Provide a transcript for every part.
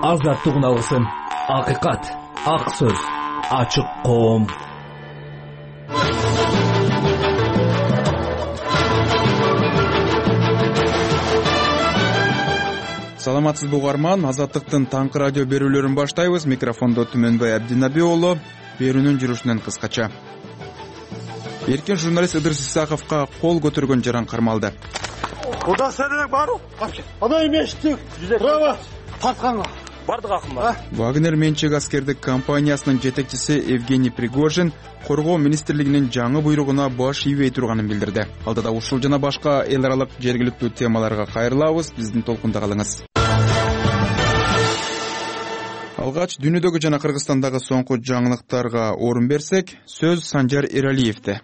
азаттык үналысын. Акыйкат, ак сөз, ачык коом. Саламатсызбы угарман, Азаттыктын таңкы радио берүүлөрүн баштайбыз. Микрофондо Түмөнбай Абдинаби уулу. Берүүнүн жүрүшүнөн кыскача. Эркен журналист Ыдырыс Исаковго кол көтөргөн жаран кармалды. Куда сенен барып? Ана эместик. Право тартканга. Бардык акымга. Вагнер менчик аскердик компаниясынын жетекчиси Евгений Пригожин Коргоо министрлигинин жаңы буйругуна баш ийбей турганын билдирди. Алдыда ушул жана башка эл аралык жергиликтүү темаларга кайрылабыз. Биздин толкунда калыңыз. Алгач дүйнөдөгү жана Кыргызстандагы соңку жаңылыктарга орун берсек, сөз Санжар Эралиевде.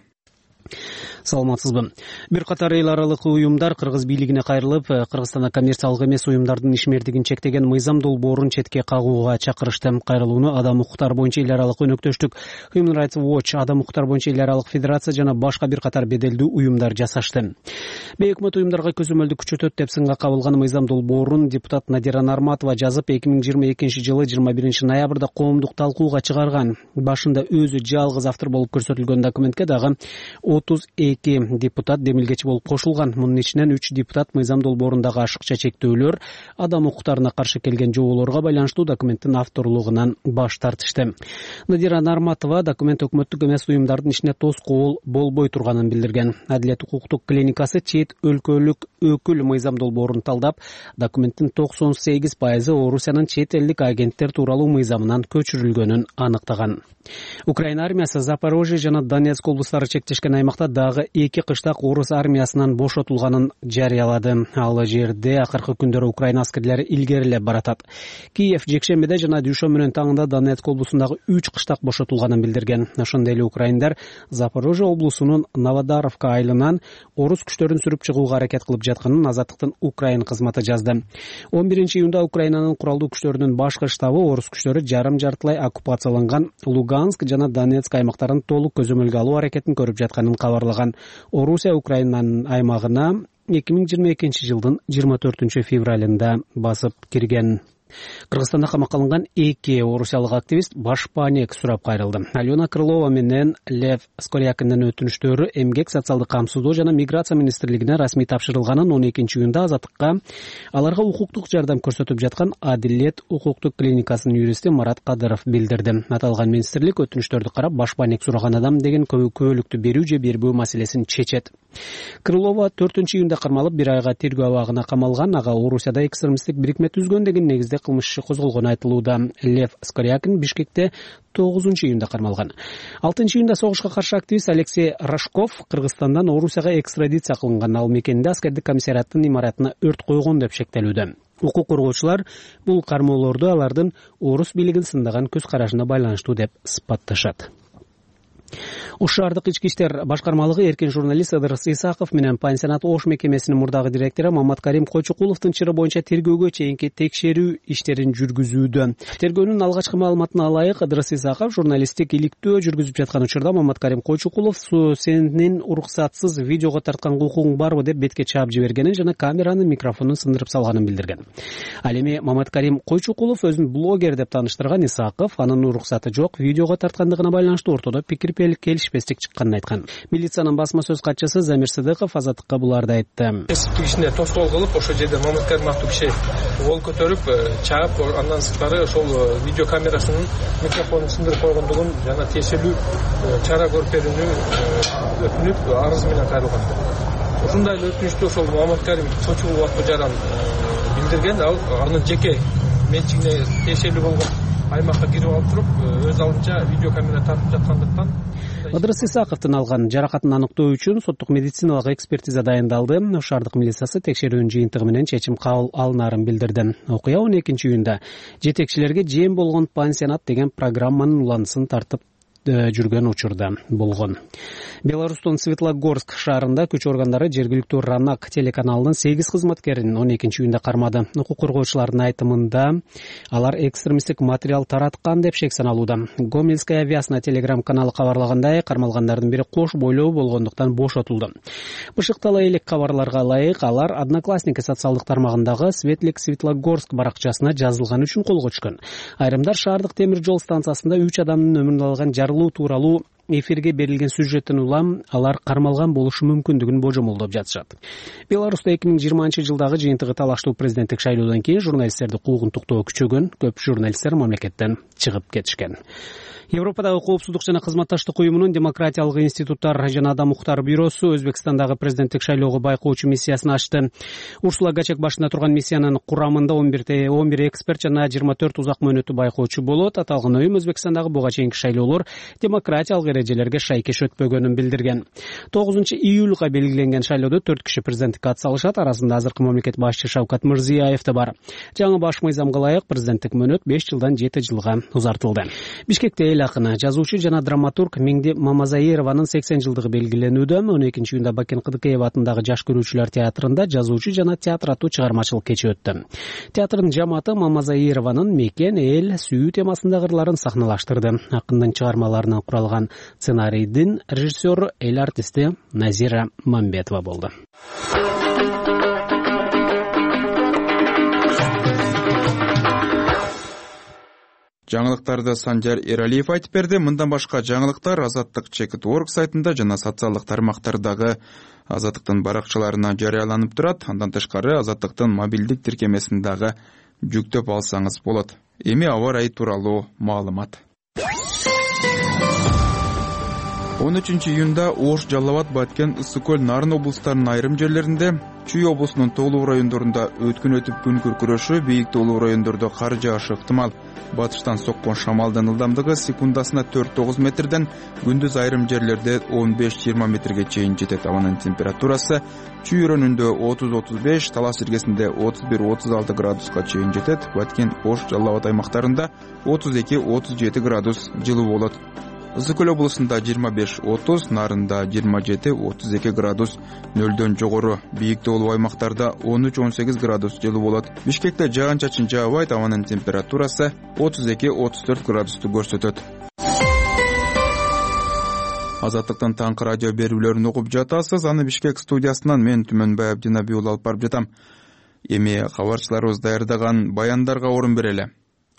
Саламатсызбы. Бир катар эл аралык уюмдар Кыргыз бийлигине кайрылып, Кыргызстанда коммерциялык эмес уюмдардын ишмердигин чектеген мыйзам долбоорун четке кагууга чакырышты. Кайрылууну Адам укуктары боюнча эл аралык өнөктөштүк, Human Rights Watch, Адам укуктары боюнча эл аралык федерация жана башка бир катар беделдүү уюмдар жасашты. Бейөкмөт уюмдарга көзөмөлдү күчөтөт деп сынга кабылган мыйзам долбоорун депутат Надира Нарматова жазып, 2022-жылы 21-ноябрда коомдук талкууга чыгарган. Башында өзү жалгыз автор болуп көрсөтүлгөн документке дагы 32 депутат демилгечи болуп кошулган. Мунун ичинен 3 депутат мыйзам долбоорундагы ашыкча чектөөлөр, адам укуктарына каршы келген жооболорго байланыштуу документтин авторлугунан баш тартышты. Надира Нарматова документ өкмөттүк эмес уюмдардын ишине тоскоол болбой турганын билдирген. Адилет укуктук клиникасы чет өлкөлүк өкүл мыйзам долбоорун талдап, документтин 98% Орусиянын чет элдик агенттер тууралуу мыйзамынан көчүрүлгөнүн аныктаган. Украина армиясы Запорожье жана Донецк облустары чектешкен аймакта дагы 2 кыштак орус армиясынан бошотулганын жарыялады. Ал жерде акыркы күндөрү Украина аскерлери илгерилеп баратат. Киев жекшембиде жана дүйшөмбүнүн таңында Донецк облусундагы 3 кыштак бошотулганын билдирген. Ошондой эле украиндар Запорожье облусунун Новодаровка айылынан орус күчтөрүн сүрүп чыгууга аракет кылып жатканын Азаттыктын Украин кызматы жазды. 11-июнда Украинанын куралдуу күчтөрүнүн башкы штабы орус күчтөрү жарым-жартылай оккупацияланган Луганск жана Донецк аймактарын толук көзөмөлгө алуу аракетин көрүп жатканын кабарлаган. Орусия Украинанын аймагына 2022-жылдын 24-февралында басып кирген. Кыргызстанда камакка алынган 2 орусиялык активист башпаанек сурап кайрылды. Алена Крылова менен Лев Скорякиндин өтүнүштөрү Эмгек социалдык камсыздоо жана миграция министрлигине расмий тапшырылганын 12-июнда Азаттыкка аларга укуктук жардам көрсөтүп жаткан Адилет укуктук клиникасынын юристи Марат Кадыров билдирди. Аталган министрлик өтүнүштөрдү карап, башпаанек сураган адам деген көбөлүктү берүү же бербөө маселесин чечет. Крылова 4-июнда кармалып, 1 айга тергөө абагына камалган. Ага Орусияда экстремисттик бирикме түзгөн деген негизде кылмыш иши козголгону айтылууда. Лев Скорякин Бишкекте 9-июнда кармалган. 6-июнда согушка каршы активист Алексей Рожков Кыргызстандан Орусияга экстрадиция кылынган. Ал мекенде аскердик комиссариаттын имаратына өрт койгон деп шектелүүдө. Укук коргоочулар бул кармоолорду алардын орус бийлигин сындаган көз карашына байланыштуу деп сыпатташат. Ош шаардык ички иштер башкармалыгы эркен журналист Ыдырыс Исаков менен пансионат Ош мекемесинин мурдагы директору Маматкарим Койчукуловдун чыры боюнча тергөөгө чейинки текшерүү иштерин жүргүзүүдө. Тергөөнүн алгачкы маалыматына ылайык, Ыдырыс Исаков журналисттик иликтөө жүргүзүп жаткан учурда Маматкарим Койчукулов сенин уруксатсыз видеого тартканга укугуң барбы деп бетке чаап жибергенин жана камеранын микрофонун сындырып салганын билдирген. Ал эми Маматкарим Койчукулов өзүн блогер деп тааныштырган Исаков анын уруксаты жок видеого тарткандыгына байланыштуу ортодо пикир келишпестик чыкканын айткан. Милициянын басма сөз катчысы Замир Сыдыков Азаттыкка буларды айтты. Кесиптик ишине тоскоол кылып, ошол жерде Маматкарим аттуу киши кол көтөрүп, чаап, андан сырткары ошол видео камерасынын микрофонун сындырып койгондугун жана тиешелүү чара көрүп берүүнү өтүнүп, арыз менен кайрылган. Ушундай эле өтүнүштү ошол Маматкарим Койчукулов аттуу жаран билдирген. Ал анын жеке менчигине тиешелүү болгон аймакка кирип алып туруп, өз алдынча видео камера тартып жаткандыктан. Ыдырыс Исаковдун алган жаракатын аныктоо үчүн соттук медициналык экспертиза дайындалды. Ош шаардык милициясы текшерүүнүн жыйынтыгы менен чечим кабыл алынарын билдирди. Окуя 12-июнда жетекчилерге жем болгон пансионат деген программанын уланысын тартып жүргөн учурда болгон. Беларустун Светлогорск шаарында күч органдары жергиликтүү Ранак телеканалынын 8 кызматкерин 12-июнда кармады. Укук коргоочулардын айтымында алар экстремисттик материал тараткан деп шек саналууда. Гомельская авиасына телеграм-каналы кабарлагандай, кармалгандардын бири кош бойлуу болгондуктан бошотулду. Бышыктала элек кабарларга ылайык, алар Одноклассники социалдык тармагындагы Светлик Светлогорск баракчасына жазылган үчүн колго түшкөн. Айрымдар шаардык темир жол станциясында 3 адамдын өмүрүн алган жарылуу тууралуу эфирге берилген сюжеттин улам алар кармалган болушу мүмкүндүгүн божомолдоп жатышат. Беларусьта 2020-жылдагы жыйынтыгы талаштуу президенттик шайлоодон кийин журналисттерди куугунтуктоо күчөгөн, көп журналисттер мамлекеттен чыгып кетишкен. Европадагы коопсуздук жана кызматташтык уюмунун демократиялык институттар жана адам укуктары бюросу Өзбекстандагы президенттик шайлоого байкоочу миссиясын ачты. Урсула Гачек башында турган миссиянын курамында 11 эксперт жана 24 узак мөөнөттүү байкоочу болот. Аталган уюм Өзбекстандагы буга чейинки шайлоолор демократиялык эрежелерге шайкеш өтпөгөнүн билдирген. 9-июлга белгиленген шайлоодо 4 киши президенттикке атсалышат. Арасында азыркы мамлекет башчы Шавкат Мирзиёев да бар. Жаңы баш мыйзамга ылайык президенттик мөөнөт 5 жылдан 7 жылга узартылды. Бишкекте эл акыны, жазуучу жана драматург Меңди Мамазаированын 80 жылдыгы белгиленүүдө. 12-июнда Бакен Кыдыкеев атындагы Жаш көрүүчүлөр театрында жазуучу жана театр аттуу чыгармачылык кечи өттү. Театрдын жамааты Мамазаированын мекен, эл, сүйүү темасындагы ырларын сахналаштырды. Акындын чыгармаларынан куралган сценарийдин режиссеру эл артисти Назира Мамбетова болду. Жаңылыктарды Санжар Эралиев айтып берди. Мындан башка жаңылыктар Азаттык.org сайтында жана социалдык тармактардагы Азаттыктын баракчаларына жарыяланып турат. Андан тышкары Азаттыктын мобилдик тиркемесин дагы жүктөп алсаңыз болот. Эми аба ырайы тууралуу маалымат. 13-июнда Ош, Жалал Абад, Баткен, Ысык Көл, Нарын облустарынын айрым жерлеринде, Чүй облусунун тоолуу райондорунда өткүн өтүп күн күркүрөшү, бийик тоолуу райондордо кар жаашы ыктымал. Батыштан соккон шамалдын ылдамдыгы секундасына 4-9 метрден, күндүз айрым жерлерде 15-20 метрге чейин жетет. Абанын температурасы Чүй өрөөнүндө 30-35, Талас иргесинде 31-36 градуска чейин жетет. Баткен, Ош, Жалал Абад аймактарында 32-37 градус жылуу болот. Ысык Көл облусунда 25-30, Нарында 27-32 градус нөлдөн жогору, бийик тоолуу аймактарда 13-18 градус жылуу болот. Бишкекте жаан-чачын жаабайт, абанын температурасы 32-34 градусту көрсөтөт. Азаттыктын таңкы радио берүүлөрүн угуп жатасыз. Аны Бишкек студиясынан мен Түмөнбай Абдинаби уулу алып барып жатам. Эми кабарчыларыбыз даярдаган баяндарга орун берели.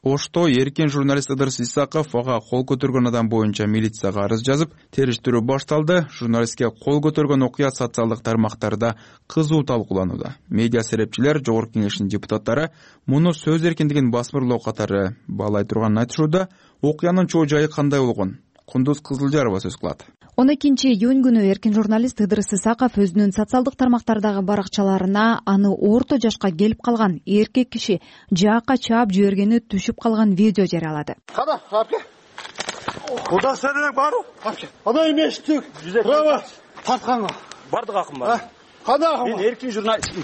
Ошто эркин журналист Ыдырыс Исаков ага кол көтөргөн адам боюнча милицияга арыз жазып, териштирүү башталды. Журналистке кол көтөргөн окуя социалдык тармактарда кызуу талкууланууда. Медиа серепчилер, Жогорку Кеңештин депутаттары муну сөз эркиндигин басмырлоо катары баалай турганын айтышууда. Окуянын чоо жайы кандай болгон? Кундуз Кызылжарова сөз кылат. 12-июнь күнү эркин журналист Ыдырыс Исаков өзүнүн социалдык тармактардагы баракчаларына аны орто жашка келип калган эркек киши жаакка чаап жибергени түшүп калган видео жарыялады. Када, апке. Куда сенен бару? Апке. Ана эместик. Права тартканга. Бардык акым бар. Када акым? Мен эркин журналистмин.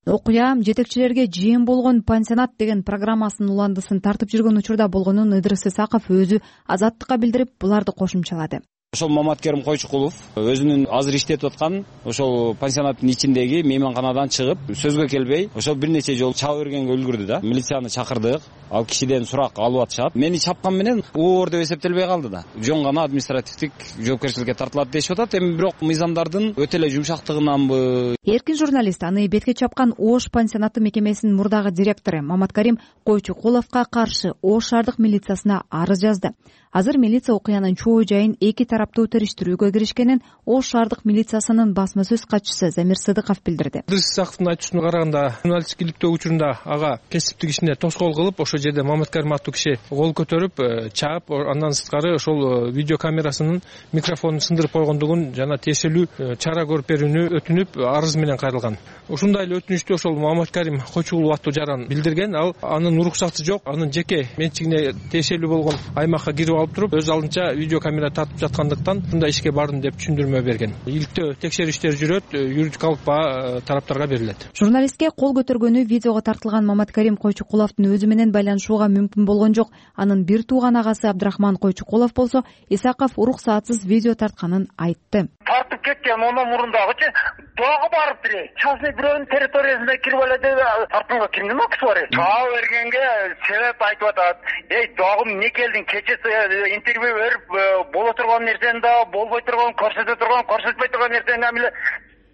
Окуя жетекчилерге жыйын болгон пансионат деген программасынын уландысын тартып жүргөн учурда болгонун Ыдырыс Исаков өзү Азаттыкка билдирип, буларды кошумчалады. Ошол Маматкерим Койчукулов өзүнүн азыр иштетип аткан ошол пансионаттын ичиндеги мейманканадан чыгып, сөзгө келбей, ошол бир нече жолу чаап бергенге үлгүрдү да. Милицияны чакырдык, ал кишиден сурак алып атышат. Мени чапкан менен оор деп эсептелбей калды да. Жөн гана административдик жоопкерчиликке тартылат дешип атат. Эми бирок мыйзамдардын өтө эле жумшактыгынанбы? Эркин журналист аны бетке чапкан Ош пансионаты мекемесинин мурдагы директору Маматкерим Койчукуловго каршы Ош шаардык милициясына арыз жазды. Азыр милиция окуянын чоо жайын эки тараптуу териштирүүгө киришкенин Ош шаардык милициясынын басма сөз катчысы Замир Сыдыков билдирди. Ыдырыс Исаковдун айтуусуна караганда, журналисттиктөө учурунда ага кесиптик ишине тоскоол кылып, ошол жерде Маматкерим аттуу киши кол көтөрүп, чаап, андан сырткары ошол видео камерасынын микрофонун сындырып койгондугун жана тиешелүү чара көрүп берүүнү өтүнүп, арыз менен кайрылган. Ушундай эле өтүнүштү ошол Маматкерим Койчукулов аттуу жаран билдирген. Ал анын уруксаты жок, анын жеке менчигине тиешелүү болгон аймакка кирип алып туруп, өз алдынча видео камера тартып жаткандыктан ушундай ишке бардым деп түшүндүрмө берген. Иликтөө текшерүү иштери жүрөт, юридикалык баа тараптарга берилет. Журналистке кол көтөргөнү видеого тартылган Маматкерим Койчукуловдун өзү менен байланышууга мүмкүн болгон жок. Анын бир тууган агасы Абдрахман Койчукулов болсо Исаков уруксаатсыз видео тартканын айтты. Тартып кеткен онун мурундагычы дагы барып бире частный бирөөнүн территориясына кирип алады. Тартканга кимдин акысы бар? Чаа бергенге себеп айтып атат. Дагы эмне келдиң? Кечээ интервью берип боло турган нерсени да болбой турган, көрсөтпөй турган нерсени эмне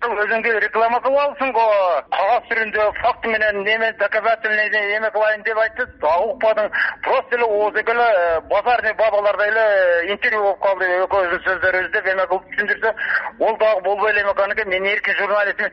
өзүңдү реклама кылып алсың-го. Кагаз түрүндө факт менен неме доказательный эме кылайын деп айтты. Дагы укпадың. Просто эле ооз эле базарный бабаларда эле интервью болуп калды. Экөөбүздүн сөздөрүбүздү эме кылып түшүндүрсө, ол дагы болбой эле экен. Мен эркин журналистмин.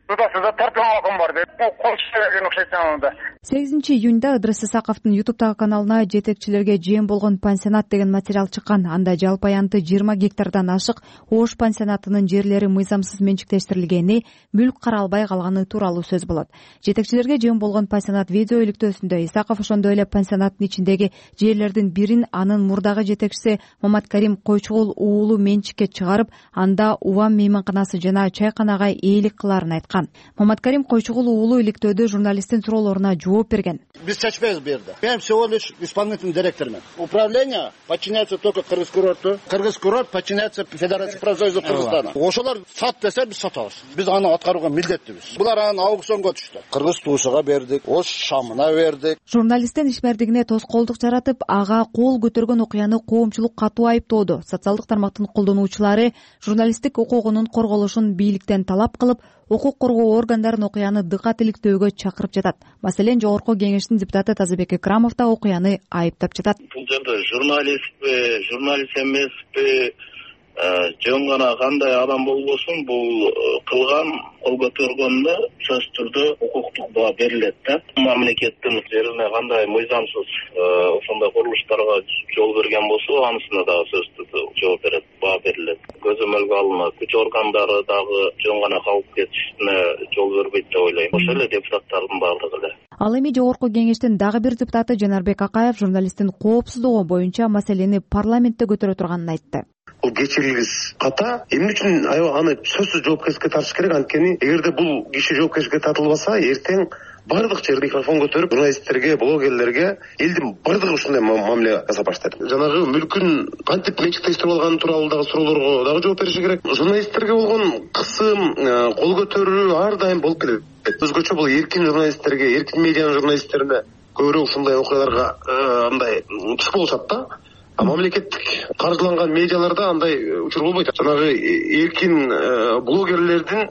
Тутасызда тарткан акым бар деп койшуп окшойт анда. 8-июнда Ыдырыс Исаковдун YouTube каналына жетекчилерге жем болгон пансионат деген материал чыккан. Анда жалпы аянты 20 гектардан ашык Ош пансионатынын жерлери мыйзамсыз менчиктештирилгени, мүлк каралбай калганы тууралуу сөз болот. Жетекчилерге жем болгон пансионат видео иликтөөсүндө Исаков ошондой эле пансионаттын ичиндеги жерлердин бирин анын мурдагы жетекчиси Маматкарим Койчугул уулу менчикке чыгарып, анда Увам мейманканасы жана чайканага ээлик кылаарын айткан. Маматкарим Койчугул уулу иликтөөдө журналисттин суроолоруна жооп берген. Без чечпейбиз бу жерде. Мен всего лишь исполнительный директормун. Управление подчиняется только Кыргыз-курорту. Кыргыз-курорт подчиняется Федерации профсоюзов Кыргызстана. Ошолор сат десе биз сатабыз. Биз аны аткарууга милдеттибиз. Булар аны аукционго түштү. Кыргыз туусуга бердик, Ош шамына бердик. Журналисттин ишмердигине тоскоолдук жаратып, ага кол көтөргөн окуяны коомчулук катуу айыптоодо. Социалдык тармактын колдонуучулары журналисттик укугунун корголушун бийликтен талап кылып, укук коргоо органдарын окуяны дыкат иликтөөгө чакырып жатат. Маселен, Жогорку кеңештин депутаты Тазабек Экрамов да окуяны айыптап жатат. Бул жерде журналистпи, журналист эмеспи, жөн гана кандай адам болбосун, бул кылган кол көтөргөндө сөзсүз түрдө укуктук баа берилет да. Мамлекеттин жерине кандай мыйзамсыз ошондой курулуштарга жол берген болсо, анысына дагы сөзсүз түрдө жооп берет, баа берилет. Көзөмөлгө алынат. Күч органдары дагы жөн гана калып кетишине жол бербейт деп ойлойм. Ошол эле депутаттардын баардыгы эле. Ал эми Жогорку кеңештин дагы бир депутаты Жанарбек Акаев журналисттин коопсуздугу боюнча маселени парламентте көтөрө турганын айтты. Бул кечирилгис ката. Эмне үчүн аны сөзсүз жоопкерчиликке тартыш керек? Анткени эгерде бул киши жоопкерчиликке тартылбаса, эртең бардык жерде микрофон көтөрүп, журналисттерге, блогерлерге элдин бардыгы ушундай мамиле жасап баштайт. Жанагы мүлкүн кантип менчиктештирип алганы тууралуу дагы суроолорго дагы жооп бериши керек. Журналисттерге болгон кысым, кол көтөрүү ар дайым болуп келет. Өзгөчө бул эркин журналисттерге, эркин медианын журналисттерине көбүрөөк ушундай окуяларга андай туш болушат да. Мамлекеттик каржыланган медиаларда андай учур болбойт. Жанагы эркин блогерлердин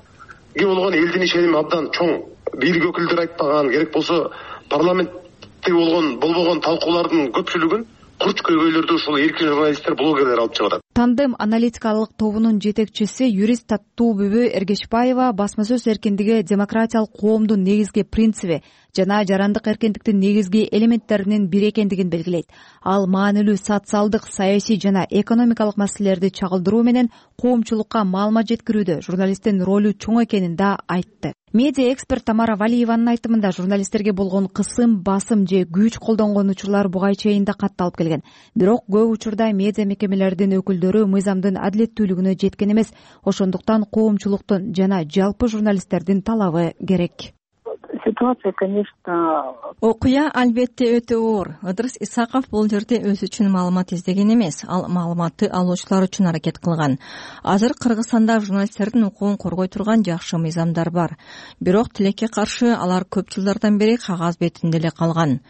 болгон элдин ишеними абдан чоң. Бийлик өкүлдөрү айтпаган, керек болсо парламентте болбогон талкуулардын көпчүлүгүн курч көйгөйлөрдү ушул эркин журналисттер, блогерлер алып чыгат. Тандем аналитикалык тобунун жетекчиси юрист Таттуу-Бүбү Эргешбаева басма сөз эркиндиги демократиялык коомдун негизги принциби жана жарандык эркиндиктин негизги элементтеринин бири экендигин белгилейт. Ал маанилүү социалдык, саясий жана экономикалык маселелерди чагылдыруу менен коомчулукка маалымат жеткирүүдө журналисттин ролу чоң экенин да айтты. Медиа эксперт Тамара Валиеванын айтымында журналисттерге болгон кысым, басым же күч колдонгон учурлар буга чейин да катталып келген. Бирок көп учурда медиа мекемелердин өкүлдөрү мыйзамдын адилеттүүлүгүнө жеткен эмес. Ошондуктан коомчулуктун жана жалпы журналисттердин талабы керек. Ситуация, конечно, окуя албетте өтө оор. Ыдырыс Исаков бул жерде өзү үчүн маалымат издеген эмес, ал маалыматты алуучулар үчүн аракет кылган. Азыр Кыргызстанда журналисттердин укугун коргой турган жакшы мыйзамдар бар. Бирок тилекке каршы алар көп жылдардан бери кагаз бетинде эле калган.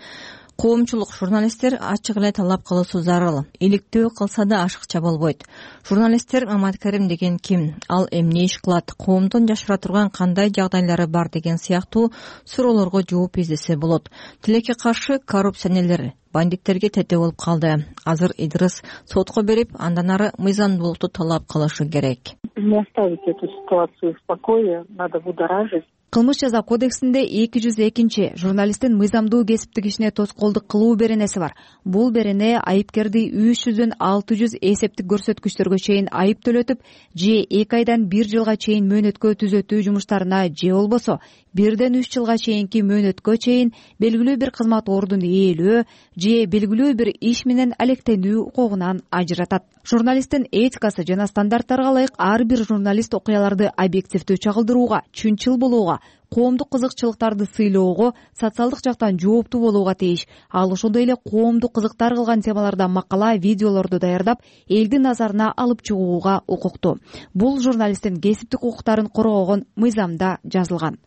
Коомчулук журналисттер ачык эле талап кылуусу зарыл. Иликтөө кылса да ашыкча болбойт. Журналисттер Маматкарим деген ким? Ал эмне иш кылат? Коомдон жашыра турган кандай жагдайлары бар деген сыяктуу суроолорго жооп издесе болот. Тилекке каршы коррупционерлер, бандиттерге тете болуп калды. Азыр Идырыс сотко берип, андан ары мыйзамдуулукту талап кылышы керек. Не оставить эту ситуацию в покое, надо будоражить. Кылмыш жаза кодексинде 202 журналисттин мыйзамдуу кесиптик ишине тоскоолдук кылуу беренеси бар. Бул берене айыпкерди 300дөн 600 эсептик көрсөткүчтөргө чейин айып төлөтүп, же 2 айдан 1 жылга чейин мөөнөткө түзөтүү жумуштарына, же болбосо 1ден 3 жылга чейинки мөөнөткө чейин белгилүү бир кызмат ордун ээлөө же белгилүү бир иш менен алектенүү укугунан ажыратат. Журналисттин этикасы жана стандарттарга ылайык ар бир журналист окуяларды объективдүү чагылдырууга, чынчыл болууга, коомдук кызыкчылыктарды сыйлоого, социалдык жактан жооптуу болууга тийиш. Ал ошондой эле коомду кызыктар кылган темаларда макала, видеолорду даярдап, элдин назарына алып чыгууга укуктуу. Бул журналисттин кесиптик укуктарын коргогон мыйзамда жазылган.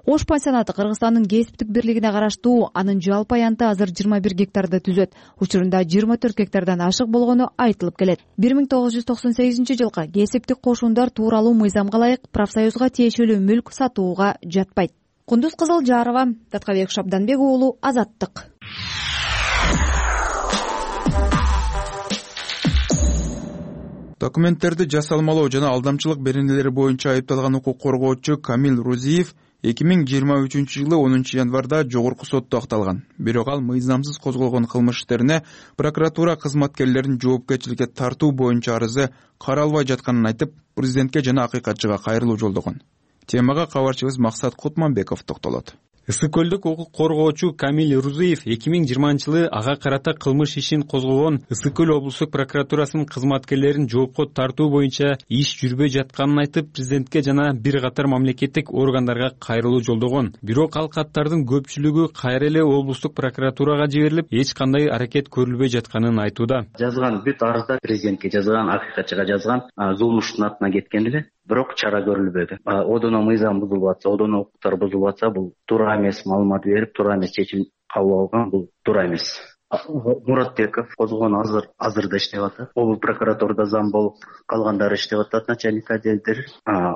Ош пансионаты Кыргызстандын кесиптик бирлигине караштуу, анын жалпы аянты азыр 21 гектарды түзөт. Учурунда 24 гектардан ашык болгону айтылып келет. 1998-жылкы кесиптик кошундар тууралуу мыйзамга ылайык профсоюзга тиешелүү мүлк сатууга жатпайт. Кундуз Кызылжарова, Таткабек Шабданбек уулу, Азаттык. Документтерди жасалмалоо жана алдамчылык беренелери боюнча айыпталган укук коргоочу Камил Рузиев 2023-жылы 10 январда жогорку сотто акталган. Бирок ал мыйзамсыз козголгон кылмыш иштерине прокуратура кызматкерлерин жоопкерчиликке тартуу боюнча арызы каралбай жатканын айтып, президентке жана акыйкатчыга кайрылуу жолдогон. Темага кабарчыбыз Максат Кутманбеков токтолот. Ысык көлдүк укук коргоочу Камил Рузиев 2020-жылы ага карата кылмыш ишин козгогон Ысык көл облустук прокуратурасынын кызматкерлерин жоопко тартуу боюнча иш жүрбөй жатканын айтып, президентке жана бир катар мамлекеттик органдарга кайрылуу жолдогон. Бирок ал каттардын көпчүлүгү кайра эле облустук прокуратурага жиберилип, эч кандай аракет көрүлбөй жатканын айтууда. Жазган бүт арыздар президентке жазган, акыйкатчыга жазган, зулмуштун атына кеткен эле. Бирок чара көрүлбөдү. Одоно мыйзам бузулуп атса, одоно укуктар бузулуп атса, бул туура эмес маалымат берип, туура эмес чечим кабыл алган, бул туура эмес. Муратбеков козгон азырда иштеп атат. Облус прокуратурада зам болуп, калгандары иштеп атат, начальник отделдер.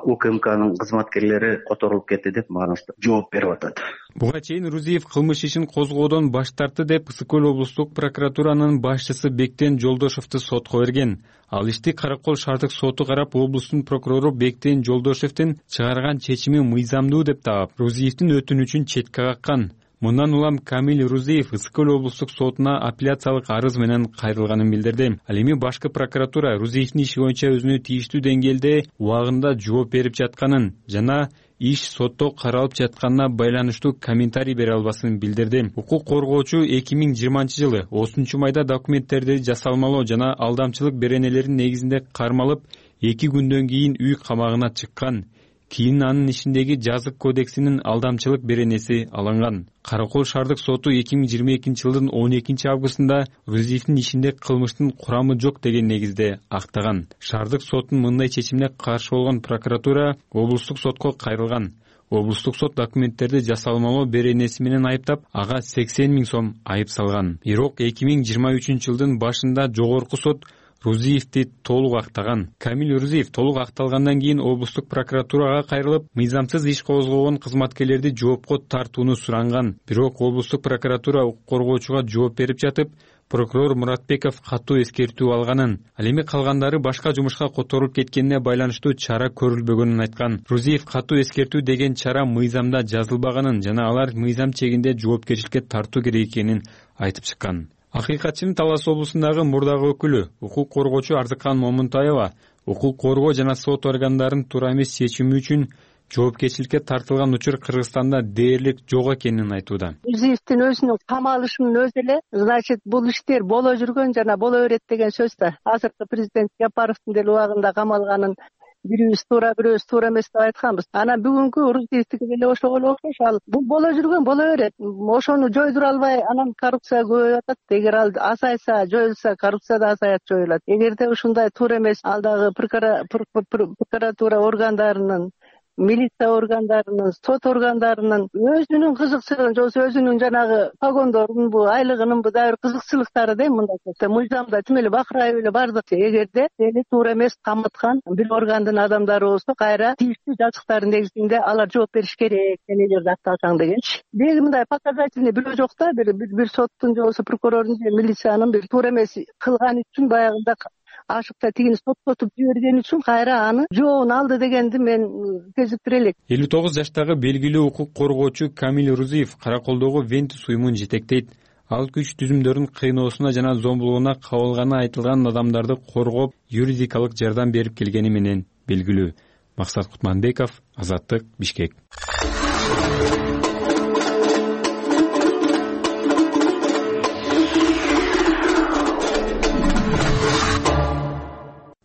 УКМКнын кызматкерлери которулуп кетти деп мага жооп берип атат. Буга чейин Рузиев кылмыш ишин козгоодон баш тартты деп Ысык көл облустук прокуратуранын башчысы Бектен Жолдошевду сотко берген. Ал ишти Каракол шаардык соту карап, облустун прокурору Бектен Жолдошевдин чыгарган чечими мыйзамдуу деп таап, Рузиевдин өтүнүчүн четке каккан. Мындан улам Камил Рузиев Ысык көл облустук сотуна апелляциялык арыз менен кайрылганын билдирди. Ал эми башкы прокуратура Рузиевдин иши боюнча өзүнө тийиштүү деңгээлде убагында жооп берип жатканын жана иш сотто каралып жатканына байланыштуу комментарий бере албасын билдирди. Укук коргоочу 2020-жылы 30-майда документтерди жасалмалоо жана алдамчылык беренелеринин негизинде кармалып, 2 күндөн кийин үй камагына чыккан. Кийин анын ишиндеги жазык кодексинин алдамчылык беренеси алынган. Каракол шаардык соту 2022-жылдын 12-августунда Рузиевдин ишинде кылмыштын курамы жок деген негизде актаган. Шаардык соттун мындай чечимине каршы болгон прокуратура облустук сотко кайрылган. Облустук сот документтерди жасалмалоо беренеси менен айыптап, ага 80 000 сом айып салган. Бирок 2023-жылдын башында жогорку сот Рузиевди толук актаган. Камил Рузиев толук акталгандан кийин облустук прокуратурага кайрылып, мыйзамсыз иш козгогон кызматкерлерди жоопко тартууну суранган. Бирок облустук прокуратура укук коргоочуга жооп берип жатып, прокурор Муратбеков катуу эскертүү алганын, ал эми калгандары башка жумушка которулуп кеткенине байланыштуу чара көрүлбөгөнүн айткан. Рузиев катуу эскертүү деген чара мыйзамда жазылбаганын жана алар мыйзам чегинде жоопкерчиликке тартуу керек экенин айтып чыккан. Акыйкатчынын Талас облусундагы мурдагы өкүлү, укук коргоочу Арзыкан Момунтаева, укук коргоо жана сот органдарынын туура эмес чечими үчүн жоопкерчиликке тартылган учур Кыргызстанда дээрлик жок экенин айтууда. Рузиевдин өзүнүн камалышынын өзү эле, значит, бул иштер боло жүргөн жана боло берет деген сөз да. Азыркы президент Жапаровдун деле убагында камалганын бирибиз туура, бирөөбүз туура эмес деп айтканбыз. Анан бүгүнкү Рузиевдики деле ошого окшош. Ал бул боло жүргөн боло берет. Ошону жойдура албай, анан коррупция көбөйүп атат. Эгер ал азайса, жоюлса, коррупция да азаят, жоюлат. Эгерде ушундай туура эмес алдагы прокуратура органдарынын, милиция органдарынын, сот органдарынын өзүнүн кызыкчылыгын же өзүнүн жанагы погондорунун айлыгынын дагы кызыкчылыктары да мындай мыйзамда тим эле бакырайып эле бардык. Эгерде эли туура эмес каматкан бир органдын адамдары болсо, кайра тийиштүү жазыктардын негизинде алар жооп бериш керек, эмелерди акталсаң дегенчи. Деги мындай показательный бирөө жок да, бир соттун же болбосо прокурордун же милициянын бир туура эмес кылган үчүн баягында ашыкта тигини соттотуп жиберген үчүн кайра аны жообун алды дегенди мен кезиктире элек. 59 жаштагы белгилүү укук коргоочу Камил Рузиев Караколдогу Вентис уюмун жетектейт. Ал күч түзүмдөрүнүн кыйноосуна жана зомбулугуна кабылганы айтылган адамдарды коргоп, юридикалык жардам берип келгени менен белгилүү. Максат Кутманбеков, Азаттык, Бишкек.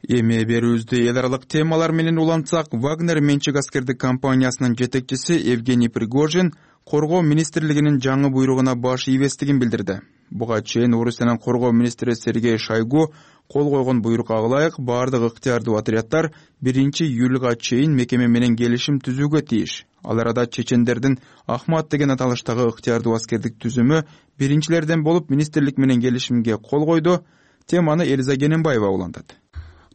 Эми берүүбүздү эл аралык темалар менен улантсак, Вагнер менчик аскердик компаниясынын жетекчиси Евгений Пригожин коргоо министрлигинин жаңы буйругуна баш ийбестигин билдирди. Буга чейин Орусиянын коргоо министри Сергей Шойгу кол койгон буйрукка ылайык баардык ыктыярдуу отряддар 1-июлга чейин мекеме менен келишим түзүүгө тийиш. Ал арада чечендердин Ахмат деген аталыштагы ыктыярдуу аскердик түзүмү биринчилерден болуп министрлик менен келишимге кол койду. Теманы Элиза Кененбаева улантат.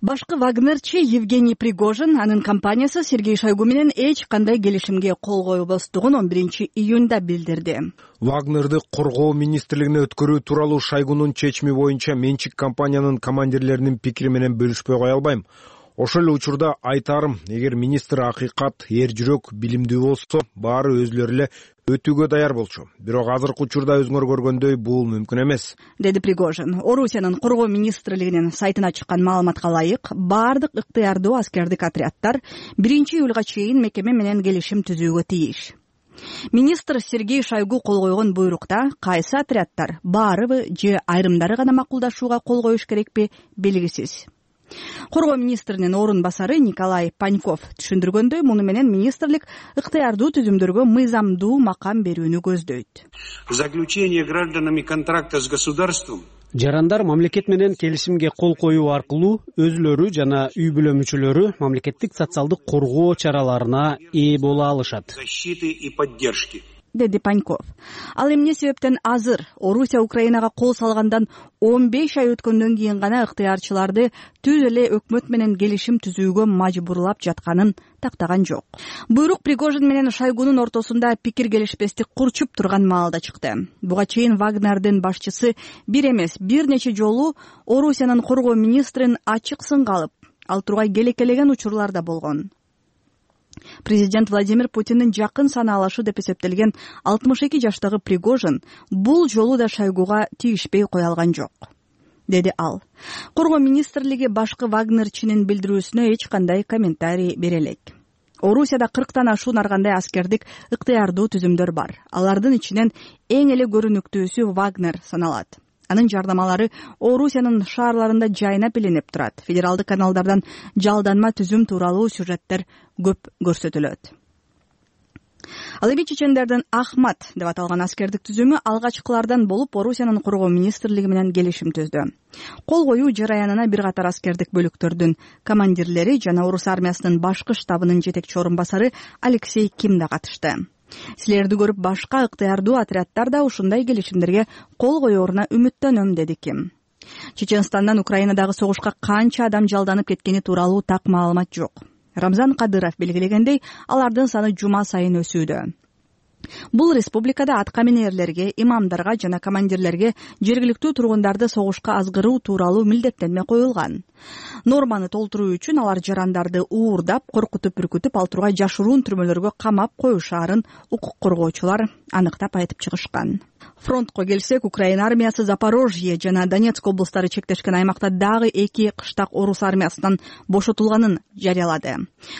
Башкы Вагнерчи Евгений Пригожин анын компаниясы Сергей Шойгу менен эч кандай келишимге кол койбостугун 11-июнда билдирди. Вагнерди коргоо министрлигине өткөрүү тууралуу Шойгунун чечими боюнча менчик компаниянын командирлеринин пикири менен бөлүшпөй кое албайм. Ошол эле учурда айтарым, эгер министр акыйкат, эр жүрөк, билимдүү болсо, баары өзүлөрү эле өтүүгө даяр болчу. Бирок азыркы учурда өзүңөр көргөндөй бул мүмкүн эмес, деди Пригожин. Орусиянын коргоо министрлигинин сайтына чыккан маалыматка ылайык, баардык ыктыярдуу аскердик отряддар 1-июлга чейин мекеме менен келишим түзүүгө тийиш. Министр Сергей Шойгу кол койгон буйрукта кайсы отряддар, баарыбы же айрымдары гана макулдашууга кол коюш керекпи белгисиз. Коргоо министринин орун басары Николай Паньков түшүндүргөндөй, муну менен министрлик ыктыярдуу түзүмдөргө мыйзамдуу макам берүүнү көздөйт. Заключение гражданами контракта с государством жарандар мамлекет менен келишимге кол коюу аркылуу өзүлөрү жана үй бүлө мүчөлөрү мамлекеттик социалдык коргоо чараларына ээ боло алышат. Защиты и поддержки, деди Паньков. Ал эмне себептен азыр Орусия Украинага кол салгандан 15 ай өткөндөн кийин гана ыктыярчыларды түз эле өкмөт менен келишим түзүүгө мажбурлап жатканын тактаган жок. Буйрук Пригожин менен Шойгунун ортосунда пикир келишпестик курчуп турган маалда чыкты. Буга чейин Вагнердин башчысы бир эмес, бир нече жолу Орусиянын коргоо министрин ачык сынга алып, ал тургай келекелеген учурлар да болгон. Президент Владимир Путиндин жакын санаалашы деп эсептелген 62 жаштагы Пригожин бул жолу да Шойгуга тийишпей кое алган жок, деди ал. Коргоо министрлиги башкы Вагнерчинин билдирүүсүнө эч кандай комментарий бере элек. Орусияда 40тан ашуун аргандай аскердик ыктыярдуу түзүмдөр бар. Алардын ичинен эң эле көрүнүктүүсү Вагнер саналат. Анын жардамалары Орусиянын шаарларында жайнап илинип турат. Федералдык каналдардан жалданма түзүм тууралуу сюжеттер көп көрсөтүлөт. Ал эми чечендердин Ахмат деп аталган аскердик түзүмү алгачкылардан болуп Орусиянын коргоо министрлиги менен келишим түздү. Кол коюу жараянына бир катар аскердик бөлүктөрдүн командирлери жана Орус армиясынын башкы штабынын жетекчи орун басары Алексей Ким да катышты. Силерди көрүп башка ыктыярдуу отряддар да ушундай келишимдерге кол коеруна үмүттөнөм, деди Ким. Чеченстандан Украинадагы согушка канча адам жалданып кеткени тууралуу так маалымат жок. Рамзан Кадыров белгилегендей, алардын саны жума сайын өсүүдө. Бул республикада аткаминерлерге, имамдарга жана командирлерге жергиликтүү тургундарды согушка азгыруу тууралуу милдеттенме коюлган. Норманы толтуруу үчүн алар жарандарды уурдап, коркутуп, үркүтүп, ал тургай жашыруун түрмөлөргө камап коюшаарын укук коргоочулар аныктап айтып чыгышкан. Фронтко келсек, Украина армиясы Запорожье жана Донецк облустары чектешкен аймакта дагы 2 кыштак орус армиясынан бошотулганын жарыялады.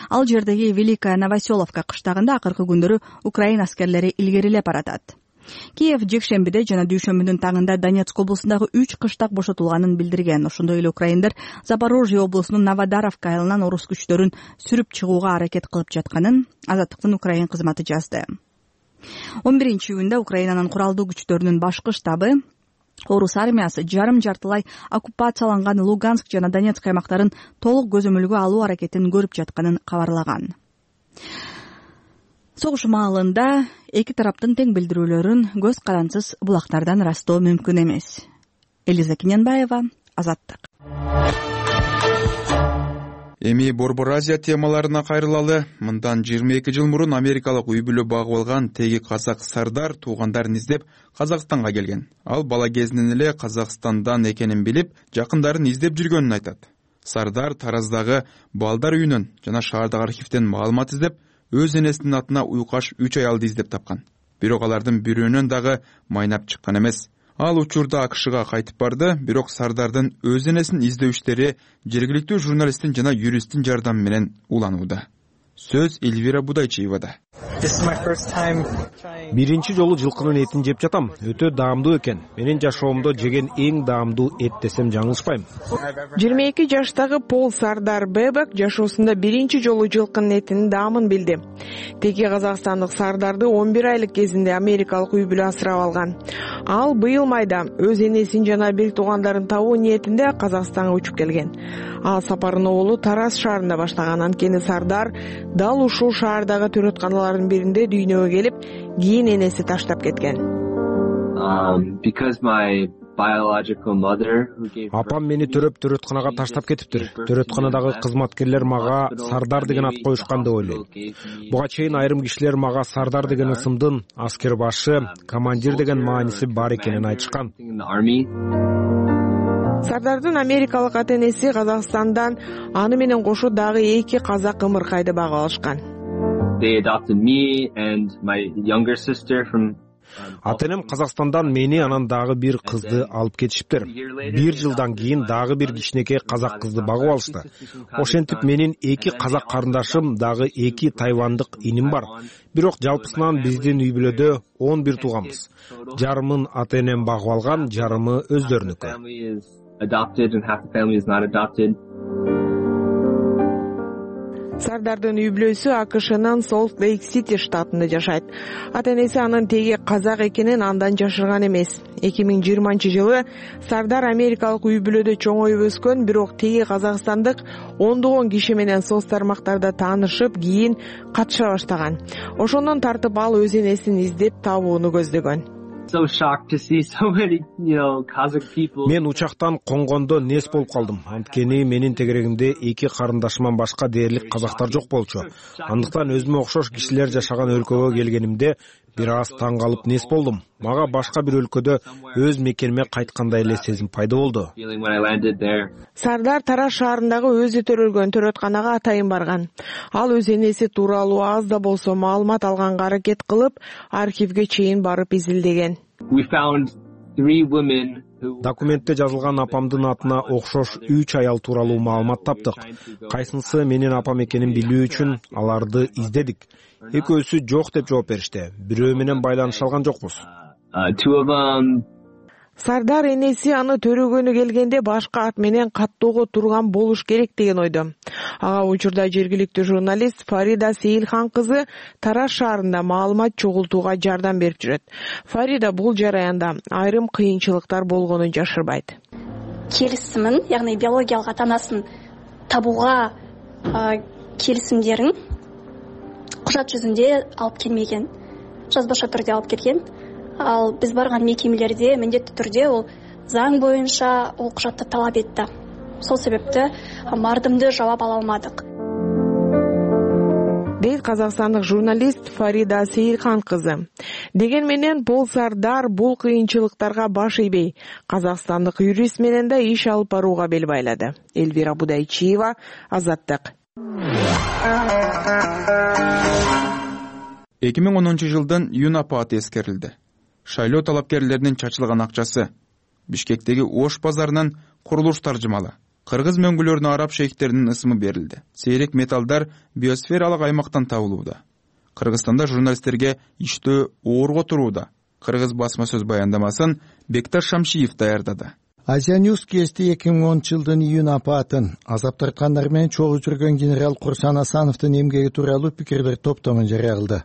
Ал жердеги Великая Новоселовка кыштагында акыркы күндөрү Украина аскерлери илгерилеп баратат. Киев жекшембиде жана дүйшөмбүнүн таңында Донецк облусундагы 3 кыштак бошотулганын билдирген. Ошондой эле украиндар Запорожье облусунун Новодаровка айылынан орус күчтөрүн сүрүп чыгууга аракет кылып жатканын Азаттыктын Украин кызматы жазды. 11-июнда Украинанын куралдуу күчтөрүнүн башкы штабы орус армиясы жарым-жартылай оккупацияланган Луганск жана Донецк аймактарын толук көзөмөлгө алуу аракетин көрүп жатканын кабарлаган. Согуш маалында эки тараптын тең билдирүүлөрүн көз карансыз булактардан ырастоо мүмкүн эмес. Элиза Кененбаева, Азаттык. Эми Борбор Азия темаларына кайрылалы. Мындан 22 жыл мурун америкалык үй бүлө багып алган теги казак Сардар туугандарын издеп Казакстанга келген. Ал бала кезинен эле Казакстандан экенин билип, жакындарын издеп жүргөнүн айтат. Сардар Тараздагы балдар үйүнөн жана шаардагы архивден маалымат издеп, өз энесинин атына уйкаш 3 аялды издеп тапкан. Бирок алардын бирөөнөн дагы майнап чыккан эмес. Ал учурда АКШга кайтып барды, бирок Сардардын өз энесин издөө иштери жергиликтүү журналисттин жана юристтин жардамы менен уланууда. Сөз Эльвира Будайчиевада. Биринчи жолу жылкынын этин жеп жатам. Өтө даамдуу экен. Менин жашоомдо жеген эң даамдуу эт десем жаңылышпайм. 22 жаштагы Пол Сардар Бебек жашоосунда биринчи жолу жылкынын этинин даамын билди. Теги казакстандык Сардарды 11 айлык кезинде америкалык үй бүлө асырап алган. Ал быйыл майда өз энесин жана бир туугандарын табуу ниетинде Казакстанга учуп келген. Ал сапарын оолу Тараз шаарында баштаган. Анткени Сардар дал ушул шаардагы төрөтканалардын биринде дүйнөгө келип, кийин энеси таштап кеткен. Апам мени төрөп төрөтканага таштап кетиптир. Төрөтканадагы кызматкерлер мага Сардар деген ат коюшкан деп ойлойм. Буга чейин айрым кишилер мага Сардар деген ысымдын аскер башы, командир деген мааниси бар экенин айтышкан. Сардардын америкалык ата-энеси Казакстандан аны менен кошо дагы 2 казак ымыркайды багып алышкан. Ата-энем Казакстандан мени анан дагы бир кызды алып кетишиптир. 1 жылдан кийин дагы бир кичинекей казак кызды багып алышты. Ошентип менин 2 казак карындашым дагы 2 тайвандык иним бар. Бирок жалпысынан биздин үй бүлөдө 11 тууганбыз. Жарымын ата-энем багып алган, жарымы өздөрүнүкү. Сардардын үй бүлөсү АКШнын Солт Лейк Сити штатында жашайт. Ата-энеси анын теги казак экенин андан жашырган эмес. 2020-жылы Сардар америкалык үй бүлөдө чоңоюп өскөн, бирок теги казакстандык ондогон киши менен соц тармактарда таанышып, кийин катыша баштаган. Ошондон тартып ал өз энесин издеп табууну көздөгөн. Мен учактан конгондо нес болуп калдым. Анткени менин тегерегимде 2 карындашыман башка дээрлик казактар жок болчу. Андыктан өзүмө окшош кишилер жашаган өлкөгө келгенимде бир аз таң калып нес болдум. Мага башка бир өлкөдө өз мекениме кайткандай эле сезим пайда болду. Сардар Тараз шаарындагы өзү төрөлгөн төрөтканага атайын барган. Ал өз энеси тууралуу аз да болсо маалымат алганга аракет кылып, архивге чейин барып изилдеген. Документте жазылган апамдын атына окшош 3 аял тууралуу маалымат таптык. Кайсынысы менин апам экенин билүү үчүн аларды издедик. Экөөсү жок деп жооп беришти. Бирөө менен байланыша алган жокпуз. Сардар энеси аны төрөгөнү келгенде башка ат менен каттоого турган болуш керек деген ойдо. Ага учурда жергиликтүү журналист Фарида Сейилхан кызы Тараз шаарында маалымат чогултууга жардам берип жүрөт. Фарида бул жараянда айрым кыйынчылыктар болгонун жашырбайт. Келисимин, ягни биологиялык ата-анасын табууга келисимдерин кужат жүзүндө алып келмеген. Жазбаша түрдө алып келген. Ал биз барган мекемелерде міндетті түрде ол заң боюнча ол кужатты талап этти. Сол себепти мардымды жабап ала алмадык. Дейт казакстандык журналист Фарида Сейилхан кызы. Деген менен Пол Сардар бул кыйынчылыктарга баш ийбей, казакстандык юрист менен да иш алып барууга бел байлады. Элвира Будайчиева, Азаттык. 2010-жылдын июнь апаты эскерилди. Шайлоо талапкерлеринин чачылган акчасы, Бишкектеги Ош базарынан курулуш таржымалы, кыргыз мөңгүлөрүнө араб шейхтеринин ысымы берилди. Сейрек металлдар биосфералык аймактан табылууда. Кыргызстанда журналисттерге иштөө оорго турууда. Кыргыз басма сөз баяндамасын Бекташ Шамшиев даярдады. Азия Ньюс кести 2010-жылдын июнь апатын азап тарткандар менен чогуу жүргөн генерал Курсан Асановдун эмгеги тууралуу пикирлер топтомун жарыя кылды.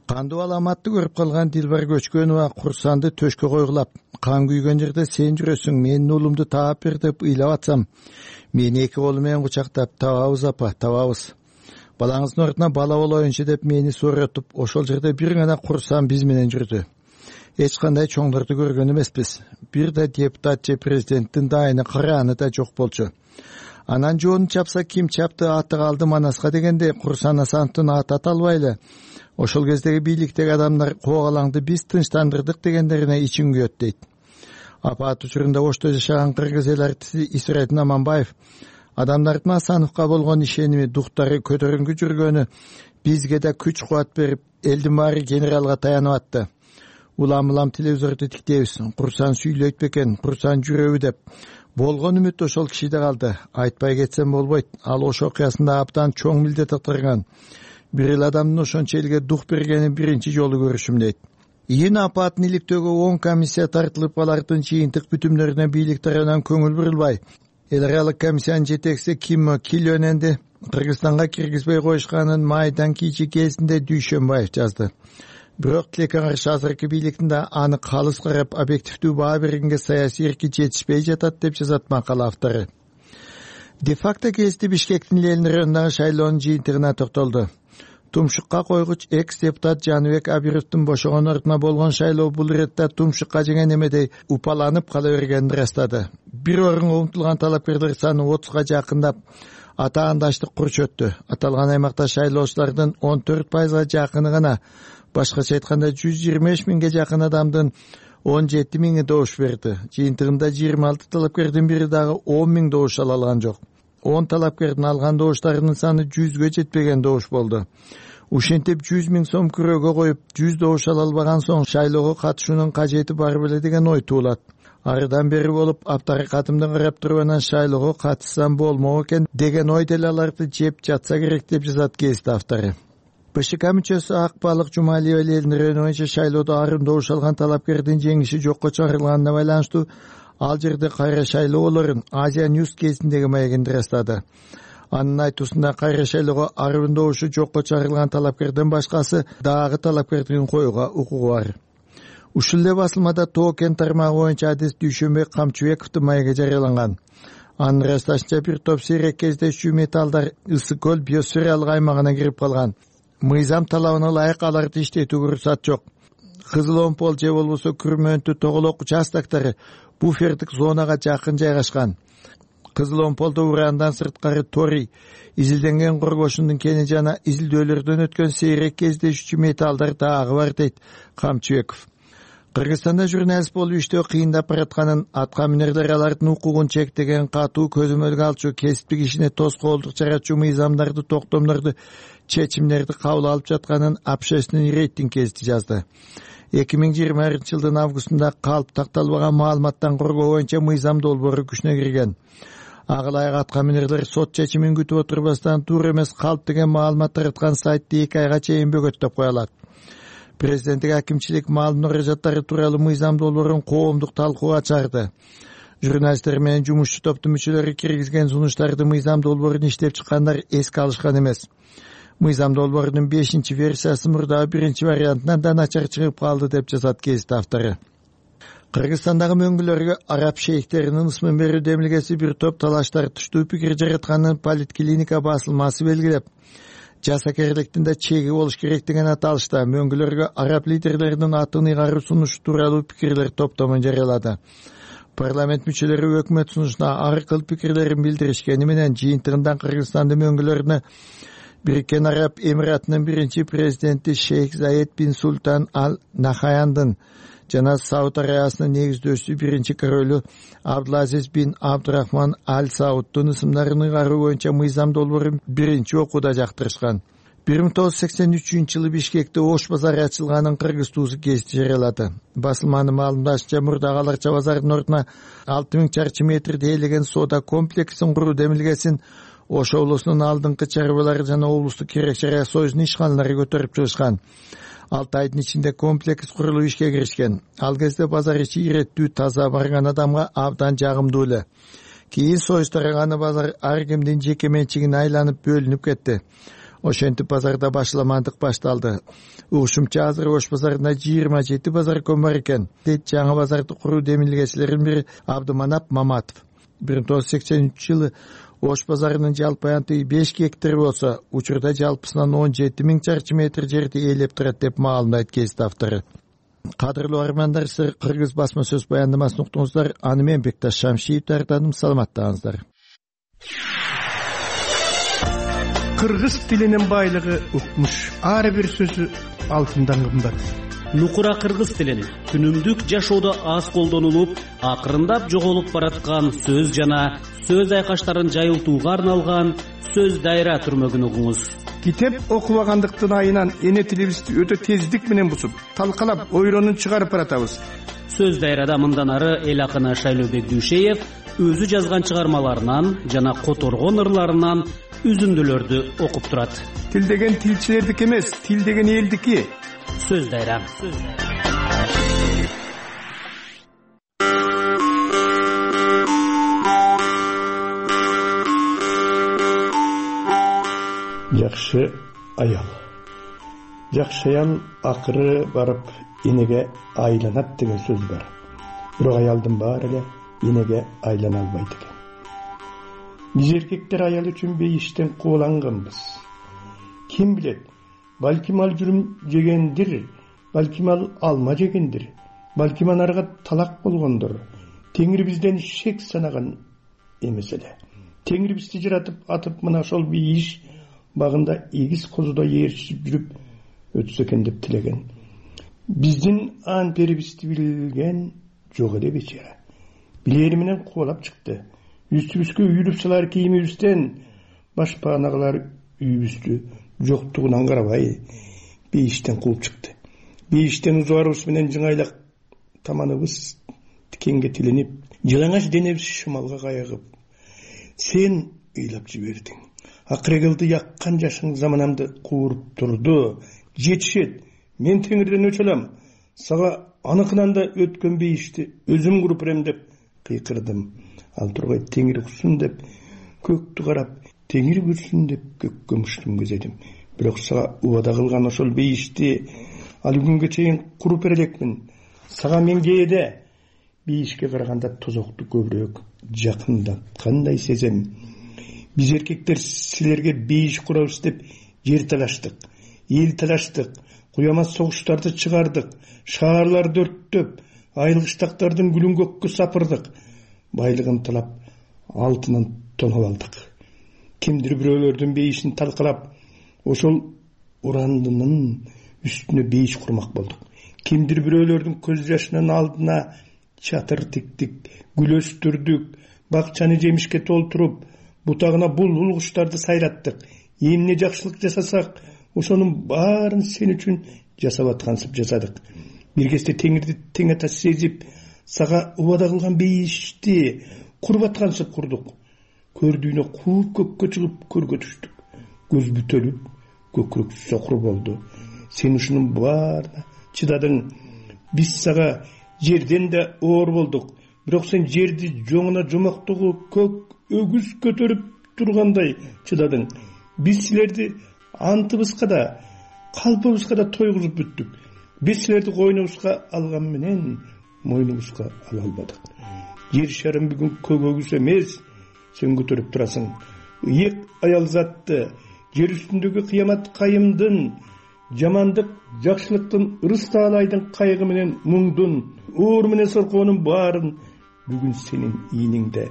Кандуу аламатты көрүп калган Дилбар Көчкөнова Курсанды төшкө койгулап, кан күйгөн жерде сен жүрөсүң, менин уулумду таап бер деп ыйлап атсам, мени 2 колу менен кучактап, табабыз апа, табабыз. Балаңыздын ордуна бала болоюнчу деп мени сооротуп, ошол жерде бир гана Курсан биз менен жүрдү. Эч кандай чоңдорду көргөн эмеспиз. Бир да депутат же президенттин дайыны карааны да жок болчу. Анан жоonu чапса ким чапты, аты калды Манаска дегенде Курсан Асановдун аты аталбайлы. Ошол кездеги бийликтеги адамдар коогалаңды биз тынчтандырдык дегендерине ичиң күйөт дейт. Апат учурунда Ошто жашаган кыргыз эл артисти Исрайдин Аманбаев адамдардын Асановго болгон ишеними, дуктары көтөрүнгү жүргөнү бизге да күч кубат берип, элдин баары генералга таянып атты. Улам телевизорду тиктейбиз, Курсан сүйлөйт бекен, Курсан жүрөбү деп. Болгон үмүт ошол кишиде калды. Айтпай кетсем болбойт. Ал ошо окуясында абдан чоң милдет атырган. бир эле адамдын ошончо элге дух бергенин биринчи жолу көрүшүм дейт. Июнь апатын иликтөөгө 10 комиссия тартылып, алардын жыйынтык бүтүмдөрүнө бийлик тарабынан көңүл бурулбай, эл аралык комиссиянын жетекчиси Ким Килөненди Кыргызстанга киргизбей коюшканын майдан кийинки кезинде Дүйшөнбаев жазды. Бирок тилекке каршы азыркы бийликтин да аны калыс карап, объективдүү баа бергенге саясий эрки жетишпей жатат деп жазат макала автору. Де-факто кести Бишкектин Ленин районундагы шайлоонун жыйынтыгына токтолду. Тумшукка койгуч экс-депутат Жаныбек Абировдун бошогон ордуна болгон шайлоо бул иретте Тумшукка жеген эмедей упаланып кала бергенин ырастады. Бир орунга умтулган талапкерлер саны 30га жакындап, атаандаштык курч өттү. Аталган аймакта шайлоочулардын 14%га жакыны гана, башкача айтканда 125 миңге жакын адамдын 17 миңи добуш берди. Жыйынтыгында 26 талапкердин бири дагы 10 миң добуш ала алган жок. 10 талапкердин алган добуштарынын саны 100гө жетпеген добуш болду. Ушинтип 100 миң сом күрөөгө коюп, 100 добуш ала албаган соң шайлоого катышуунун кажети бар беле деген ой туулат. Арыдан бери болуп, аптаракатымдан карап туруп анан шайлоого катышсам болмок экен деген ой деле аларды жеп жатса керек деп жазат гезит автору. БШК мүчөсү Акбалык Жумалиева Ленин району боюнча шайлоодо арым добуш алган талапкердин жеңиши жокко чыгарылганына байланыштуу ал жерде кайра шайлоо болорун Азия News кезиндеги маегинде ырастады. Анын айтуусунда кайра шайлоого арым добушу жокко чыгарылган талапкерден башкасы дагы талапкердин коюуга укугу бар. Ушул эле басылмада Тоо кен тармагы боюнча адис Дүйшөнбек Камчыбековдун маеги жарыяланган. Анын ырасташынча бир топ сейрек кездешүү металлдар Ысык көл биосфералык аймагына кирип калган. Мыйзам талабына ылайык аларды иштетүүгө уруксат жок. Кызыл Омпол же болбосо Күрмөнтү тоголок участоктары буфердик зонага жакын жайгашкан. Кызыл Омполдо урандан сырткары торий, изилденген коргошундун кени жана изилдөөлөрдөн өткөн сейрек кездешүүчү металлдар дагы бар дейт Камчыбеков. Кыргызстанда журналист болуп иштөө кыйындап баратканын, атка минерлер алардын укугун чектеген, катуу көзөмөлгө алчу, кесиптик ишине тоскоолдук жаратчу мыйзамдарды, токтомдорду, чечимдерди кабыл алып жатканын общественный рейтинг гезити жазды. 2020-жылдын августунда калп такталбаган маалыматтан коргоо боюнча мыйзам долбоору күчүнө кирген. Ага ылайык атка минерлер сот чечимин күтүп отурбастан туура эмес калп деген маалымат тараткан сайтты 2 айга чейин бөгөттөп кое алат. Президенттик акимчилик маалымат муражаттары тууралуу мыйзам долбоорун коомдук талкууга чыгарды. Журналисттер менен жумушчу топтун мүчөлөрү киргизген сунуштарды мыйзам долбоорун иштеп чыккандар эске алышкан эмес. Мыйзам долбоорунун 5-версиясы мурдагы 1-вариантынан да начар чыгып калды деп жазат гезит автору. Кыргызстандагы мөңгүлөргө араб шейхтеринин ысмын берүү демилгеси бир топ талаш тартыштуу пикир жаратканын Политклиника басылмасы белгилеп, жасакерликтин да чеги болуш керек деген аталышта мөңгүлөргө араб лидерлеринин атын ыйгаруу сунушу тууралуу пикирлер топтомун жарыялады. Парламент мүчөлөрү өкмөт сунушуна ар кыл пикирлерин билдиришкени менен жыйынтыгында Кыргызстандын мөңгүлөрүнө Бириккен Араб Эмиратынын биринчи президенти Шейх Заид бин Султан Ал Нахаяндын жана Сауд Арабиясынын негиздөөчүсү биринчи королу Абдулазиз бин Абдурахман Ал Сауддун ысымдарын ыйгаруу боюнча мыйзам долбоорун биринчи окууда жактырышкан. 1983-жылы Бишкекте Ош базары ачылганын Кыргыз туузу гезити жарыялады. Басылманын маалымдашынча мурдагы Аларча базарынын ордуна 6000 чарчы метрди ээлеген соода комплексин куруу демилгесин Ош облусунун алдыңкы чарбалары жана облустук керек-жарак союзунун ишканалары көтөрүп чыгышкан. 6 айдын ичинде комплекс курулуп ишке киришкен. Ал кезде базар ичи иреттүү, таза, барган адамга абдан жагымдуу эле. Кийин союз тараганы базар ар кимдин жеке менчигине айланып бөлүнүп кетти. Ошентип базарда башламандык башталды. Угушумча азыр Ош базарында 27 базарком бар экен. Жаңы базарды куруу демилгечилеринин бири Абдыманап Маматов. 1983-жылы Ош базарынын жалпы аянты 5 гектар болсо, учурда жалпысынан 17 миң чарчы метр жерди ээлеп турат деп маалымдайт гезит автору. Кадырлуу армандар, сиз Кыргыз басма сөз баяндамасын уктуңуздар. Аны мен Бекташ Шамшиев даярдадым. Саламаттаңыздар. Кыргыз тилинин байлыгы укмуш. Ар бир сөзү алтындан кымбат. Нукура кыргыз тилин күнүмдүк жашоодо аз колдонулуп, акырындап жоголуп бараткан сөз жана сөз айкаштарын жайылтууга арналган сөз дайра түрмөгүн угуңуз. Китеп окубагандыктын айынан эне тилибизди өтө тездик менен бусуп, талкалап, ойронун чыгарып баратабыз. Сөз дайрада мындан ары эл акыны Шайлообек Дүйшеев өзү жазган чыгармаларынан жана которгон ырларынан үзүндүлөрдү окуп турат. Тил деген тилчилердики эмес, тил деген элдики. Сөз дайра. Жакшы аял. Жакшы аял акыры барып энеге айланат деген сөз бар. Бирок аялдын баары эле энеге айлана албайт экен. Биз эркектер аял үчүн бейиштен кууланганбыз. Ким билет, балким ал жүрүм жегендир, балким ал алма жегендир, балким анарга талак болгондур. Теңир бизден шек санаган эмес эле. Теңир бизди жаратып атып мына ошол бейиш багында эгиз козудо ээрчип жүрүп өтсө экен деп тилеген. Биздин ан перибизди билген жок эле бечара. Билери менен кубалап чыкты. Үстүбүзгө үйүлүп салар кийимибизден башпаанагылар үйүбүздү жоктугунан карабай бейиштен кууп чыкты. Бейиштен узубарыбыз менен жыңайлак таманыбыз тикенге тиленип, жалаңаш денебиз шымалга кайыгып, сен ыйлап жибердиң. Акырегылды яккан жашың заманамды кууруп турду. Жетишет, мен Теңирден өч алам. Сага аныкынан да өткөн бейишти өзүм куруп берем деп кыйкырдым. Ал тургай Теңир уксун деп көктү карап, Теңир көрсүн деп көккө муштум көзөдүм. Бирок сага убада кылган ошол бейишти ал күнгө чейин куруп бере элекмин. Сага мен кээде бейишке караганда тозокту көбүрөөк жакындаткандай сезем. Биз эркектер силерге бейиш курабыз деп жер талаштык, эл талаштык, куямас согуштарды чыгардык, шаарларды өрттөп, айылгыштактардын гүлүн көккө сапырдык, байлыгын талап, алтынын тоноп алдык. Кимдир бирөөлөрдүн бейишин талкалап, ошол урандынын үстүнө бейиш курмак болдук. Кимдир бирөөлөрдүн көз жашынын алдына чатыр тиктик, гүл өстүрдүк, бакчаны жемишке толтуруп, бутагына булбул куштарды сайраттык. Эмне жакшылык жасасак, ошонун баарын сен үчүн жасап аткансып жасадык. Бир кезде Теңирди тең ата сезип, сага убада кылган бейишти куруп аткансып курдук. Көрдүйүнө кууп көккө чыгып көргө түштүк. Көз бүтөлүп, көкүрөк сокур болду. Сен ушунун баарына чыдадың. Биз сага жерден да оор болдук. Бирок сен жерди жоңуна жомоктогу көк өгүз көтөрүп тургандай чыдадың. Биз силерди антыбызга да, калпыбызга да тойгузуп бүттүк. Биз силерди койнубузга алган менен мойнубузга ала албадык. Жер шарым бүгүн көк өгүз эмес, сен көтөрүп турасың. Ыйык аял затты, жер үстүндөгү кыямат кайымдын, жамандык, жакшылыктын, ырыс таалайдын кайгы менен муңдун, оор менен соркоонун баарын бүгүн сенин ийниңде.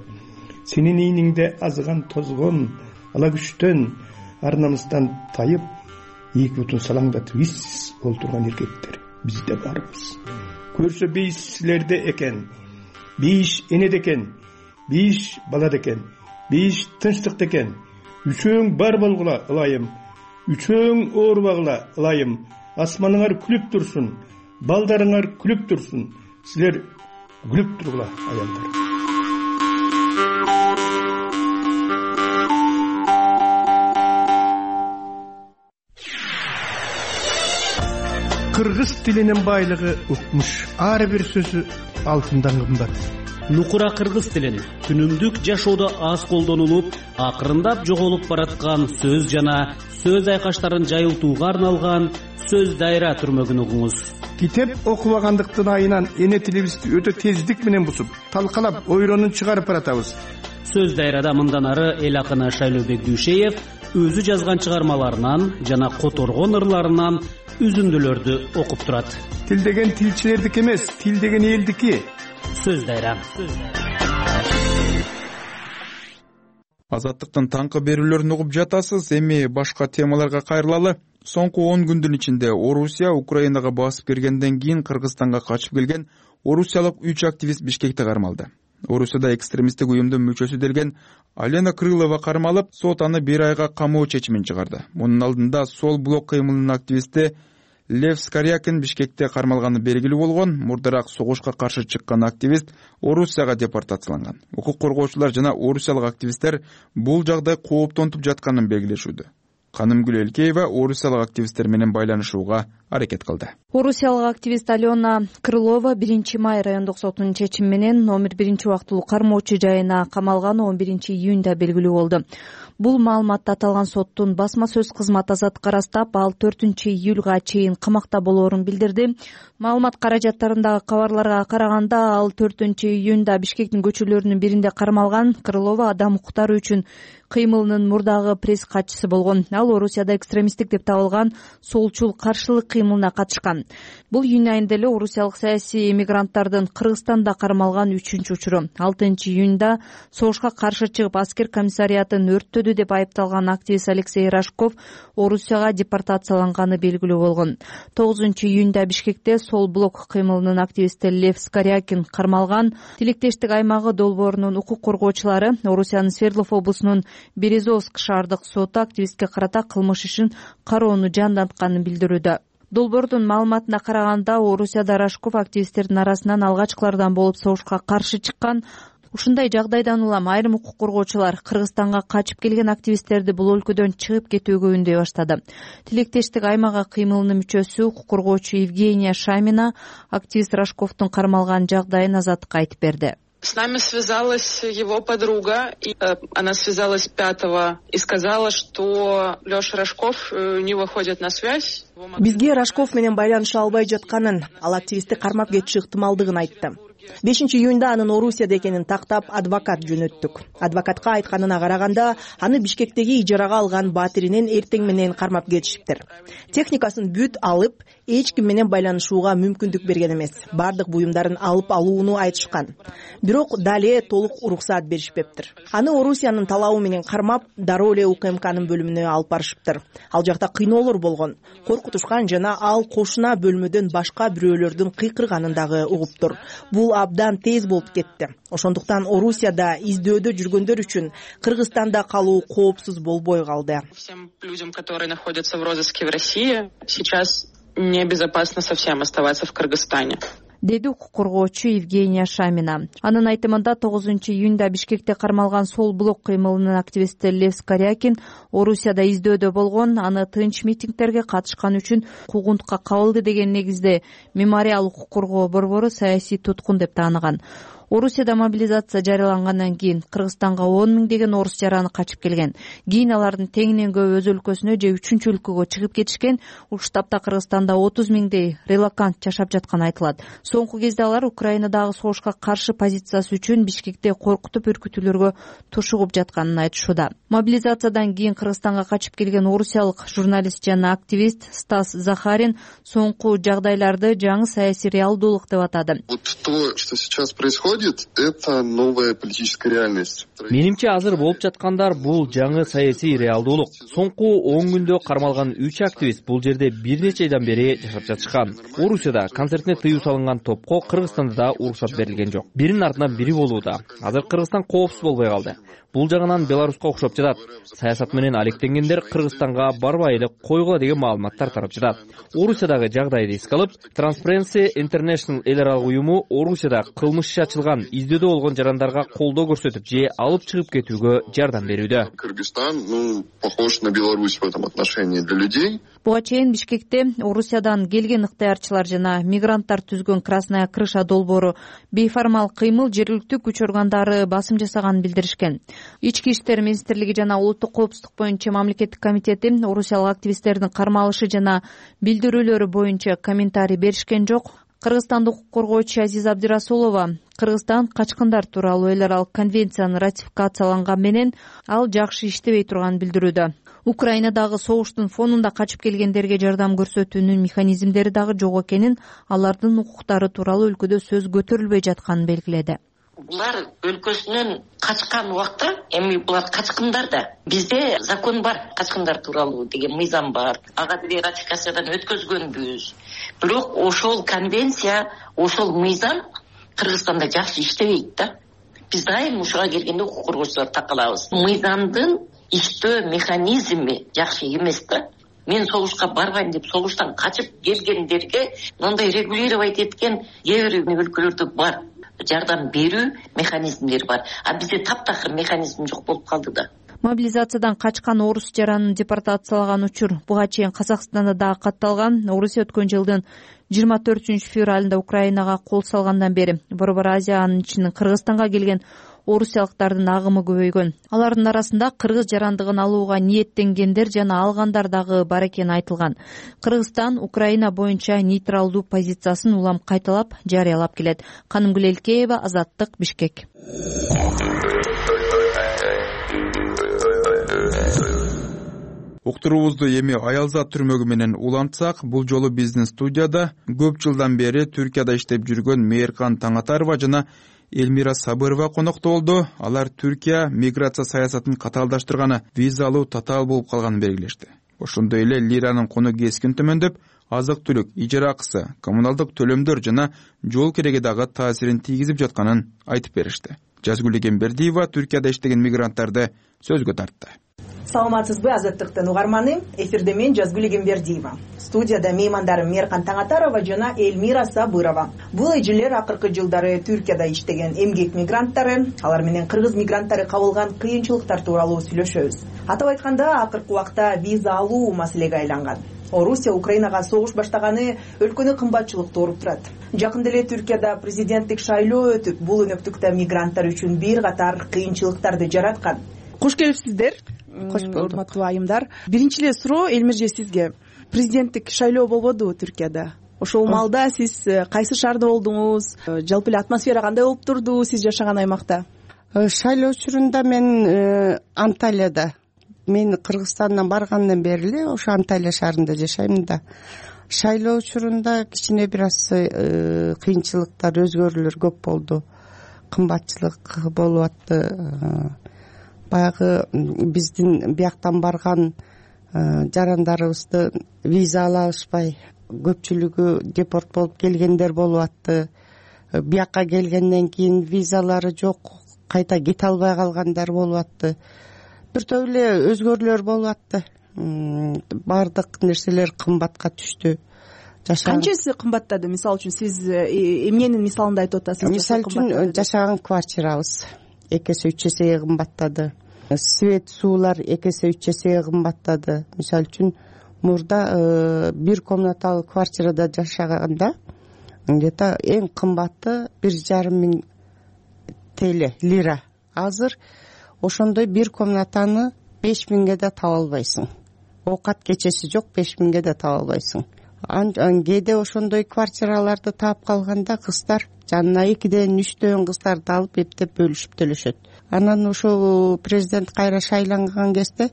Сенин ийниңде азган тозгон, ала күчтөн, ар намыстан тайып, эки бутун салаңдатып иссиз олтурган эркектер бизде барбыз. Көрсө бейиш силерде экен, бейиш энеде экен, бейиш балада экен, бейиш тынчтыкта экен. Үчөөң бар болгула ылайым, үчөөң оорубагыла ылайым. Асманыңар күлүп турсун, балдарыңар күлүп турсун. Силер күлүп тургула аялдар. Кыргыз тилинин байлыгы укмуш. Ар бир сөзү алтындан кымбат. Нукура кыргыз тилин күнүмдүк жашоодо аз колдонулуп, акырындап жоголуп бараткан сөз жана сөз айкаштарын жайылтууга арналган сөз дайра түрмөгүн угуңуз. Китеп окубагандыктын айынан эне тилибизди өтө тездик менен бусуп, талкалап, ойронун чыгарып баратабыз. Сөз дайрада мындан ары эл акыны Шайлообек Дүйшеев өзү жазган чыгармаларынан жана которгон ырларынан үзүндүлөрдү окуп турат. Тил деген тилчилердики эмес, тил деген элдики. Сөз дайра. Азаттыктын таңкы берүүлөрүн угуп жатасыз. Эми башка темаларга кайрылалы. Соңку 10 күндүн ичинде Орусия Украинага басып киргенден кийин Кыргызстанга качып келген орусиялык 3 активист Бишкекте кармалды. Орусияда экстремисттик уюмдун мүчөсү делген Алена Крылова кармалып, сот аны 1 айга камоо чечимин чыгарды. Мунун алдында Сол блок кыймылынын активисти Лев Скорякин Бишкекте кармалганы белгилүү болгон. Мурдараак согушка каршы чыккан активист Орусияга депортацияланган. Укук коргоочулар жана орусиялык активисттер бул жагдай кооптонтуп жатканын белгилешүүдө. Канымгүл Элкеева орусиялык активисттер менен байланышууга аракет кылды. Орусиялык активист Алена Крылова 1 май райондук сотунун чечими менен номер 1 кармоочу жайына камалганы 11 июнда белгилүү болду. Бул маалыматты аталган соттун басма сөз кызматы азаттыкка ырастап, ал 4 июлга чейин камакта болоорун билдирди. Маалымат каражаттарындагы кабарларга караганда, ал 4 июнда Бишкектин көчөлөрүнүн биринде кармалган. Крылова адам укуктары үчүн кыймылынын мурдагы пресс катчысы болгон. Ал Орусияда экстремисттик деп табылган солчул каршылык кыймылына катышкан. Бул июнь айында эле орусиялык саясий эмигранттардын Кыргызстанда кармалган 3-учуру. 6 июнда согушка каршы чыгып аскер комиссариятын өрттөдү деп айыпталган активист Алексей Рожков Орусияга депортацияланганы белгилүү болгон. 9 июнда Бишкекте Сол блок кыймылынын активисти Лев Скорякин кармалган. Тилектештик аймагы долбоорунун укук коргоочулары Орусиянын Свердлов облусунун Березовск шаардык соту активистке карата кылмыш ишин кароону жандантканын билдирүүдө. Долбоордун маалыматына караганда, Орусияда Рожков активисттердин арасынан алгачкылардан болуп согушка каршы чыккан. Ушундай жагдайдан улам айрым укук коргоочулар Кыргызстанга качып келген активисттерди бул өлкөдөн чыгып кетүүгө үндөй баштады. Тилектештик аймагы кыймылынын мүчөсү укук коргоочу Евгения Шамина активист Рожковдун кармалган жагдайын азаттыкка айтып берди. С нами связалась его подруга, и она связалась 5-го и сказала, что Леша Рожков не выходит на связь. Бизге Рожков менен байланыша албай жатканын, ал активистти кармап кетиши ыктымалдыгын айтты. 5 июнда анын Орусияда экенин тактап адвокат жөнөттүк. Адвокатка айтканына караганда, аны Бишкектеги ижарага алган батиринен эртең менен кармап кетишиптир. Техникасын бүт алып, эч ким менен байланышууга мүмкүндүк берген эмес. Бардык буюмдарын алып алууну айтышкан. Бирок дале толук уруксаат беришпептир. Аны Орусиянын талабы менен кармап, дароо эле УКМКнын бөлүмүнө алып барышыптыр. Ал жакта кыйноолор болгон, коркутушкан жана ал кошуна бөлмөдөн башка бирөөлөрдүн кыйкырганын дагы угуптур. Бул абдан тез болуп кетти. Ошондуктан Орусияда издөөдө жүргөндөр үчүн Кыргызстанда калуу коопсуз болбой калды. Всем людям, которые находятся в розыске в России, сейчас небезопасно совсем оставаться в Кыргызстане. Деди укук коргоочу Евгения Шамина. Анын айтымында 9 июнда Бишкекте кармалган Сол блок кыймылынын активисти Лев Скорякин Орусияда издөөдө болгон, аны тынч митингдерге катышкан үчүн куугунтукка кабылды деген негизде Мемориал укук коргоо борбору саясий туткун деп тааныган. Орусияда мобилизация жарыялангандан кийин Кыргызстанга 10 миңдеген орус жараны качып келген. Кийин алардын теңинен көп өз өлкөсүнө же 3-чү өлкөгө чыгып кетишкен. Ушул тапта Кыргызстанда 30 миңдей релокант жашап жатканы айтылат. Соңку кезде алар Украинадагы согушка каршы позициясы үчүн Бишкекте коркутуп үркүтүүлөргө тушугуп жатканын айтышууда. Мобилизациядан кийин Кыргызстанга качып келген орусиялык журналист жана активист Стас Захарин соңку жагдайларды жаңы саясий реалдуулук деп атады. Вот то, что сейчас происходит, это новая политическая реальность. Менимче азыр болуп жаткандар бул жаңы саясий реалдуулук. Соңку 10 күндө кармалган 3 активист бул жерде бир нече айдан бери жашап жатышкан. Орусияда концертине тыюу салынган топко Кыргызстанда да уруксат берилген жок. Биринин артынан бири болууда. Азыр Кыргызстан коопсуз болбой калды. Бул жагынан Беларуска окшоп жатат. Саясат менен алектенгендер Кыргызстанга барбай эле койгула деген маалыматтар тарап жатат. Орусиядагы жагдайды эске алып, Transparency International эл аралык уюму Орусияда кылмыш иши ачылган, издөөдө болгон жарандарга колдоо көрсөтүп же алып чыгып кетүүгө жардам берүүдө. Кыргызстан, похож на Беларусь в этом отношении для людей. Буга чейин Бишкекте Орусиядан келген ыктыярчылар жана мигранттар түзгөн Красная крыша долбоору бейформал кыймыл жергиликтүү күч органдары басым жасаганын билдиришкен. Ички иштер министрлиги жана улуттук коопсуздук боюнча мамлекеттик комитети орусиялык активисттердин кармалышы жана билдирүүлөрү боюнча комментарий беришкен жок. Кыргызстандык укук коргоочу Азиза Абдирасулова Кыргызстан качкындар тууралуу эл аралык конвенцияны ратификацияланган менен ал жакшы иштебей турганын билдирүүдө. Украинадагы согуштун фонунда качып келгендерге жардам көрсөтүүнүн механизмдери дагы жок экенин, алардын укуктары тууралуу өлкөдө сөз көтөрүлбөй жатканын белгиледи. Булар өлкөсүнөн качкан убакта, эми булар качкындар да. Бизде закон бар, качкындар тууралуу деген мыйзам бар. Ага деле ратификациядан өткөзгөнбүз. Бирок ошол конвенция, ошол мыйзам Кыргызстанда жакшы иштебейт да. Биз дайым ушуга келгенде укук коргоочулар такалабыз. Мыйзамдын иштөө механизми жакшы эмес да. мен согушка барбайм деп согуштан качып келгендерге мындай регулировать эткен кээ бир өлкөлөрдө бар, жардам берүү механизмдери бар, а бизде таптакыр механизм жок болуп калды да. Мобилизациядан качкан орус жаранын депортацияланган учур буга чейин Казакстанда дагы катталган. Орусия өткөн жылдын 24-февралында Украинага кол салгандан бери Борбор Азия, анын ичинен Кыргызстанга келген орусиялыктардын агымы көбөйгөн. Алардын арасында кыргыз жарандыгын алууга ниеттенгендер жана алгандар дагы бар экени айтылган. Кыргызстан Украина боюнча нейтралдуу позициясын улам кайталап жарыялап келет. Канымгүл Элкеева, Азаттык, Бишкек. Уктуруубузду эми Аялзат түрмөгү менен улантсак, бул жолу биздин студияда көп жылдан бери Түркияда иштеп жүргөн Мээркан Таңатарова жана Элмира Сабырова конокто болду. Алар Түркия миграция саясатын катаалдаштырганы, виза алуу татаал болуп калганын белгилешти. Ошондой эле лиранын кону кескин төмөндөп, азык-түлүк, ижара акысы, коммуналдык төлөмдөр жана жол кереги дагы таасирин тийгизип жатканын айтып беришти. Жазгүл Эгембердиева Түркияда иштеген мигранттарды сөзгө тартты. Саламатсызбы, Азаттыктын угарманы? Эфирде мен Жазгүл Эгембердиева. Студияда меймандарым Мээркан Таңатарова жана Элмира Сабырова. Бул эжелер акыркы жылдары Түркияда иштеген эмгек мигранттары, алар менен кыргыз мигранттары кабылган кыйынчылыктар тууралуу сүйлөшөбүз. Атап айтканда, акыркы убакта виза алуу маселеге айланган. Орусия Украинага согуш баштаганы өлкөнү кымбатчылыкты ооруп турат. Жакында эле Түркияда президенттик шайлоо өтүп, бул өнөктүктө мигранттар үчүн бир катар кыйынчылыктарды жараткан. Кош келипсиздер. Кош болдук. Урматтуу айымдар. Биринчи эле суроо Элмирже сизге. Президенттик шайлоо болбоду Түркияда? Ошол маалда сиз кайсы шаарда болдуңуз? Жалпы эле атмосфера кандай болуп турду сиз жашаган аймакта? Шайлоо учурунда мен Анталияда. Мен Кыргызстандан баргандан бери эле ошо Анталия шаарында жашайм да. Шайлоо учурунда кичине бир аз кыйынчылыктар, өзгөрүүлөр көп болду. Кымбатчылык болуп атты. Баягы биздин бияктан барган жарандарыбызды виза ала алышпай, көпчүлүгү депорт болуп келгендер болуп атты. Биякка келгенден кийин визалары жок, кайта кете албай калгандар болуп атты. Бир топ эле өзгөрүүлөр болуп атты. Баардык нерселер кымбатка түштү. Канчасы кымбаттады? Мисалы үчүн сиз эмненин мисалында айтып атасыз? Мисалы үчүн жашаган квартирабыз 2 эсе 3 эсеге кымбаттады. Свет, суулар 2 эсе 3 эсеге кымбаттады. Мисалы үчүн мурда бир комнаталуу квартирада жашаганда где-то эң кымбаты 1,5 миң TL, лира. Азыр ошондой бир комнатаны 5 миңге да таба албайсың. Оокат кечеси жок, 5 миңге да таба албайсың. Кээде ошондой квартираларды таап калганда кыздар жанына 2ден 3дөн кыздарды алып эптеп бөлүшүп төлөшөт. Анан ошо президент кайра шайланган кезде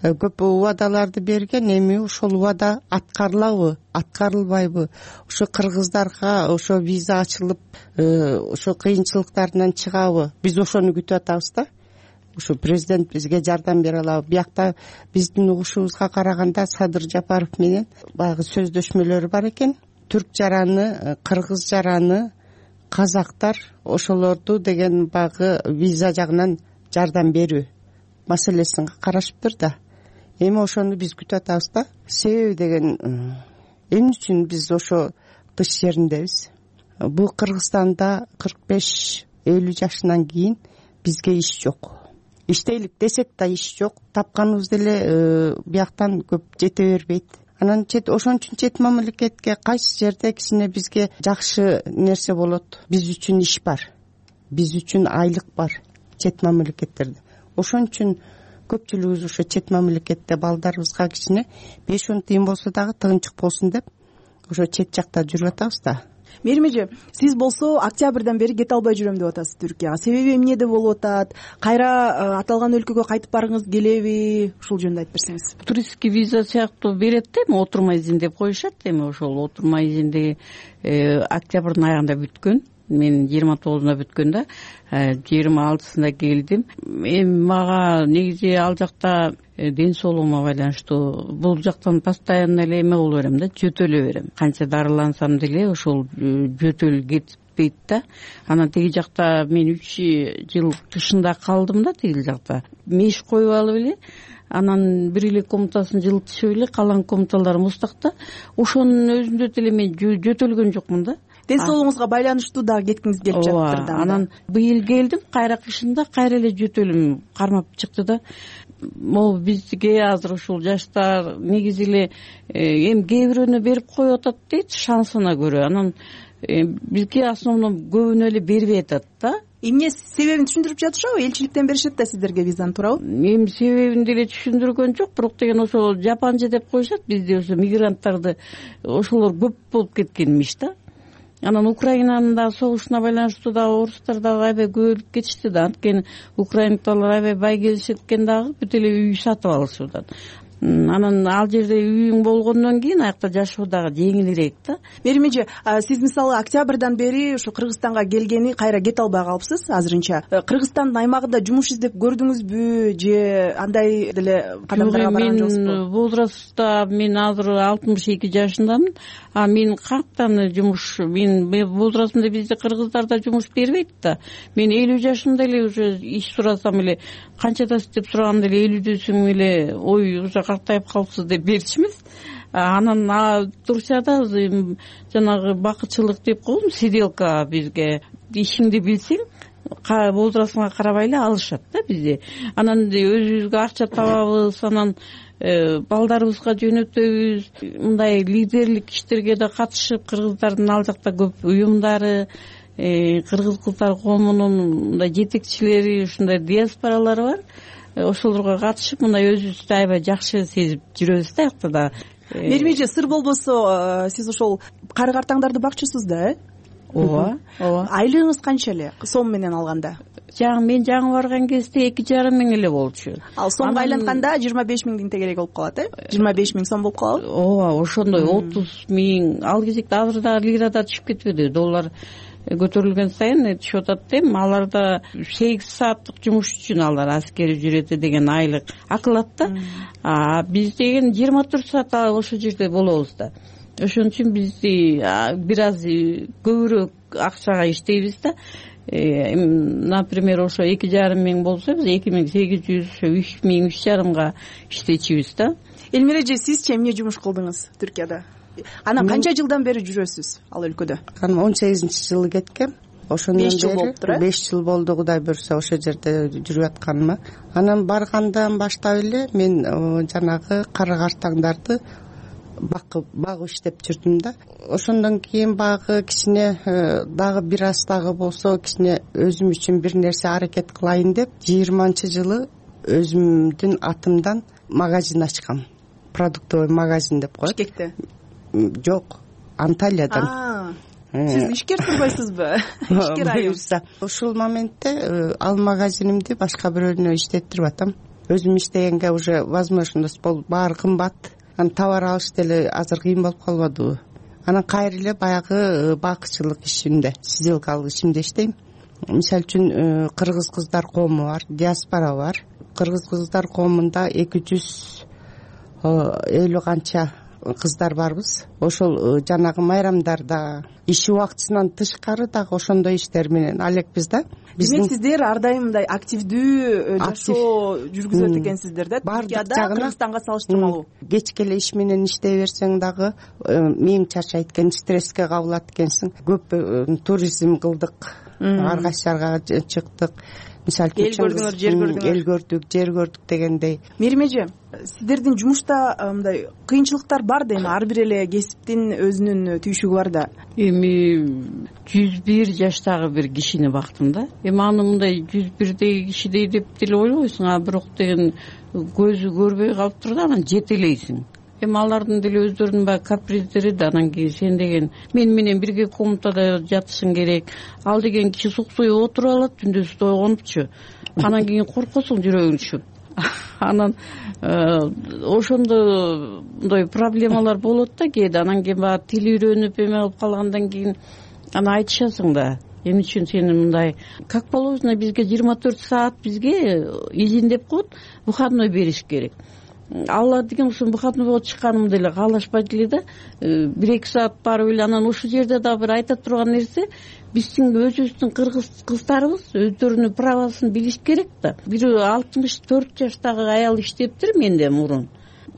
көп убадаларды берген, эми ошол убада аткарылабы, аткарылбайбы? Ошо кыргыздарга ошо виза ачылып, ошо кыйынчылыктарынан чыгабы? Биз ошону күтүп атабыз да. Ошо президент бизге жардам бере алабы? Биякта биздин угушубузга караганда Садыр Жапаров менен баягы сөздөшмөлөр бар экен. Түрк жараны, кыргыз жараны, казактар ошолорду деген баягы виза жагынан жардам берүү маселесин карашыптыр да. Эми ошону биз күтүп атабыз да. Себеби деген эмне үчүн биз ошо тыш жериндебиз? Бул Кыргызстанда 45-50 жашынан кийин бизге иш жок. Иштейлик десек да иш жок. Тапканыбыз деле бияктан көп жете бербейт. Анан ошон үчүн чет мамлекетке кайсы жерде кичине бизге жакшы нерсе болот. Биз үчүн иш бар. Биз үчүн айлык бар чет мамлекеттерде. Ошон үчүн көпчүлүгүбүз ошо чет мамлекетте балдарыбызга кичине 5-10 тыйын болсо дагы тыгынчык болсун деп ошо чет жакта жүрүп атабыз да. Мээрим, сиз болсо октябрдан бери кете албай жүрөм деп атасыз Түркияга. Себеби эмнеде болуп атат? Кайра аталган өлкөгө кайтып баргыңыз келеби? Ушул жөнүндө айтып берсеңиз. Туристский виза сыяктуу берет да, эми отурма изин деп коюшат. Эми ошол отурма изинди октябрдын аягында бүткөн. Мен 29-да бүткөн да, 26-сында келдим. Эми мага негизи ал жакта ден соолугума байланыштуу бул жактан постоянно эле эме боло берем да, жөтөлө берем. Канча дарылансам деле ошол жөтөл кетпейт да. Анан тиги жакта мен 3 жыл тышында калдым да, тиги жакта. Меш коюп алып эле анан бир эле комнатасын жылытышып эле калган комнаталары муздакта. Ошонун өзүндө деле мен жөтөлгөн жокмун да. Ден соолугуңузга байланыштуу дагы кеткиңиз келип жатыптыр да. Анан быйыл келдим, кайра кышында кайра эле жөтөлүм кармап чыкты да. Могу бизге азыр ушул жаштар негизи эле эми кээ бирөөнө берип коюп атат дейт, шансына көрө. Анан бизге основном көбүнө эле бербей атат да. Эмне себебин түшүндүрүп жатышабы? Элчиликтен беришет да сиздерге визаны, туурабы? Эми себебин деле түшүндүргөн жок, бирок деген ошо жапанжы деп коюшат бизде, ошо мигранттарды ошолор көп болуп кеткенмиш да. Анан Украинанын да согушуна байланыштуу дагы орустар дагы аябай көбөйүп кетишти да. Анткени украиналар аябай бай келишет экен дагы, бүт эле үй сатып алышып атат. Анан ал жерде үйүң болгондон кийин аякта жашоо дагы жеңилирээк да. Мерим эже, сиз мисалы октябрдан бери ушу Кыргызстанга келгени кайра кете албай калыпсыз азырынча. Кыргызстандын аймагында жумуш издеп көрдүңүзбү же андай деле кадамдарга барган жоксузбу? Мен возрастта мен азыр 62 жашындамын. Мен кантан жумуш, мен возрастымда бизде кыргыздарда жумуш бербейт да. Мен 50 жашымда эле уже иш сурасам эле канчадасыз деп сураганда эле 50дөсүң эле ой уже картайып калыпсыз деп беришмиз. Анан Турцияда жанагы бакытчылык деп коем, сиделка бизге ишиңди билсең возрастыңа карабай эле алышат да бизде. Анан өзүбүзгө акча табабыз, анан балдарыбызга жөнөтөбүз. Мындай лидерлик иштерге да катышып, кыргыздардын ал жакта көп уюмдары, кыргыз кыздар коомунун мындай жетекчилери, ушундай диаспоралары бар. Ошолорго катышып мындай өзүбүздү аябай жакшы сезип жүрөбүз да аякта да. Мерим эже, сыр болбосо сиз ошол кары картаңдарды бакчысыз да, ооба. Айлыгыңыз канча эле сом менен алганда? Мен жаңы барган кезде 2,5 миң эле болчу. Ал сомго айлантканда 25 миңдин тегерек болуп калат, 25 миң сом болуп калабы? Ооба, ошондой 30 миң. Ал кезекте азыр дагы лирада түшүп кетпеди, доллар көтөрүлгөн сайын түшүп атат дейм. Аларда 8 сааттык жумуш үчүн алар аскери үчүрөтү деген айлык акылат да. Биз деген 24 саат ошол жерде болобуз да. Ошон үчүн бизди бир аз көбүрөөк акчага иштейбиз да. Например, ошо 2,5 миң болсо биз 2800, 3 миң, 3,5 иштечүбүз да. Элмира эже, сизчи эмне жумуш кылдыңыз Түркияда? Анан канча жылдан бери жүрөсүз ал өлкөдө? 18-жылы кеткем. Ошондон бери 5 жыл болуптур, 5 жыл болду, Кудай буйрса ошол жерде жүрүп атканыма. Анан баргандан баштап эле мен жанагы кары картаңдарды багып иштеп жүрдүм да. Ошондон кийин багы кичине дагы бир аз дагы болсо кичине өзүм үчүн бир нерсе аракет кылайын деп 20-жылы өзүмдүн атымдан магазин ачкам. Продуктовый магазин деп коет. Бишкекте? Жок, Анталиядан. Сиз ишкер турбайсызбы? Ишкер айым. Ушул моментте ал магазинимди башка бирөөнө иштеттирип атам. Өзүм иштегенге уже возможность болуп, баары кымбат. Анан товар алыш деле азыр кыйын болуп калбадыбы? Анан кайра эле баягы бакытчылык ишинде, сиделкалык ишинде иштейм. Мисалы үчүн кыргыз кыздар коому бар, диаспора бар. Кыргыз кыздар коомунда 250 канча кыздар барбыз. Ошол жанагы майрамдарда иш убактысынан тышкары дагы ошондой иштер менен алекпиз да. Демек сиздер ар дайым мындай активдүү жашоо жүргүзөт экенсиздер да. Түркияда Кыргызстанга салыштырмалуу. Кечке эле иш менен иштей берсең дагы миң чарчайт экен, стресске кабылат экенсиң. Көп туризм кылдык, ар кайсы жарга чыктык. Мисалы үчүн эл көрдүк, жер көрдүк дегендей. Мерим эже, сиздердин жумушта мындай кыйынчылыктар бар да, эми ар бир эле кесиптин өзүнүн түйшүгү бар да. Эми 101 жаштагы бир кишини бактым да. Эми аны мындай 101деги кишидей деп деле ойлобойсуң, бирок деген көзү көрбөй калыптыр да, анан жетелейсиң. Эми алардын деле өздөрүнүн баягы каприздери да. Анан кийин сен деген мен менен бирге комнатада жатышың керек. Ал деген киши суксуй отуруп алат, түндөсү ойгонупчу. Анан кийин коркосуң жүрөгүң түшүп. Анан ошондо мындай проблемалар болот да кээде. Анан кийин баягы тил үйрөнүп эме кылып калгандан кийин аны айтышасың да. Эмне үчүн сени мындай как положено бизге 24 саат бизге изин деп коет, выходной бериш керек. алла деген ушу выходнойго чыкканым деле каалашпайт эле да. 1-2 саат барып эле анан ушул жерде дагы бир айта турган нерсе, биздин өзүбүздүн кыргыз кыздарыбыз өздөрүнүн правосын билиш керек да. Бир 64 жаштагы аял иштептир менде мурун.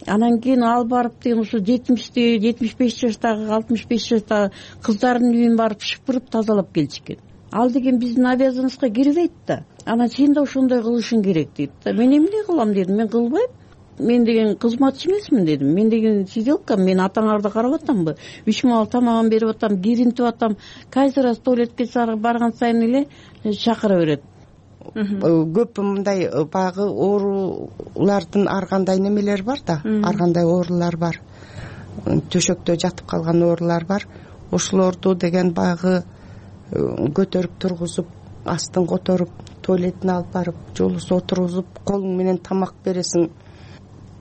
Анан кийин ал барып деген ушу 75 жаштагы 65 жаштагы кыздардын үйүн барып шыпырып тазалап келишкен. Ал деген биздин обязанностька кирбейт да. Анан сен да ошондой кылышың керек дейт да. Мен эмне кылам дедим, мен кылбайм. Мен деген кызматчы эмесмин дедим. Мен деген сиделка, мен атаңарды карап атамбы? 3 маал тамагын берип атам, киринтип атам. Каждый раз туалетке барган сайын эле чакыра берет. Көп мындай баягы оорулардын ар кандай немелери бар да, ар кандай оорулар бар. Төшөктө жатып калган оорулар бар. Ошолорду деген баягы көтөрүп тургузуп, астын которуп, туалетине алып барып, жолусу отургузуп, колуң менен тамак бересиң.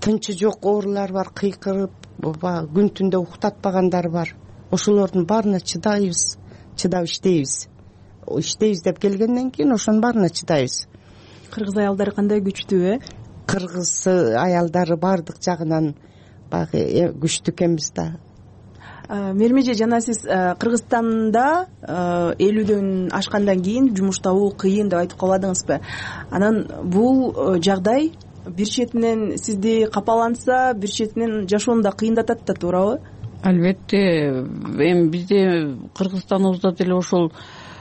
Тынчы жок оорулар бар, кыйкырып, күн түндө уктатпагандар бар. Ошолордун баарына чыдайбыз, чыдап иштейбиз деп келгенден кийин ошонун баарына чыдайбыз. Кыргыз аялдары кандай күчтүү, Кыргыз аялдары баардык жагынан баягы күчтүү экенбиз да. Мермеже, жана сиз Кыргызстанда 50дөн ашкандан кийин жумуш табуу кыйын деп айтып калбадыңызбы? Анан бул жагдай бир четинен сизди капаланса, бир четинен жашоону да кыйындатат да, туурабы? Албетте, эми бизде Кыргызстаныбызда деле ошол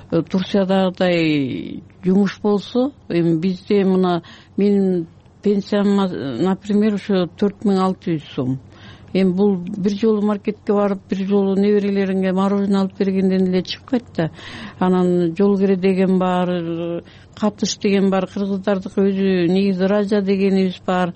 Турциядагыдай жумуш болсо, эми бизде мына менин пенсиям, например, ошо 4600 сом. Эми бул бир жолу маркетке барып, бир жолу неберелериңе мороженое алып бергенден эле чыкпайт да. Анан жол кире деген бар, катыш деген бар, кыргыздардыкы өзү негизи ража дегенибиз бар.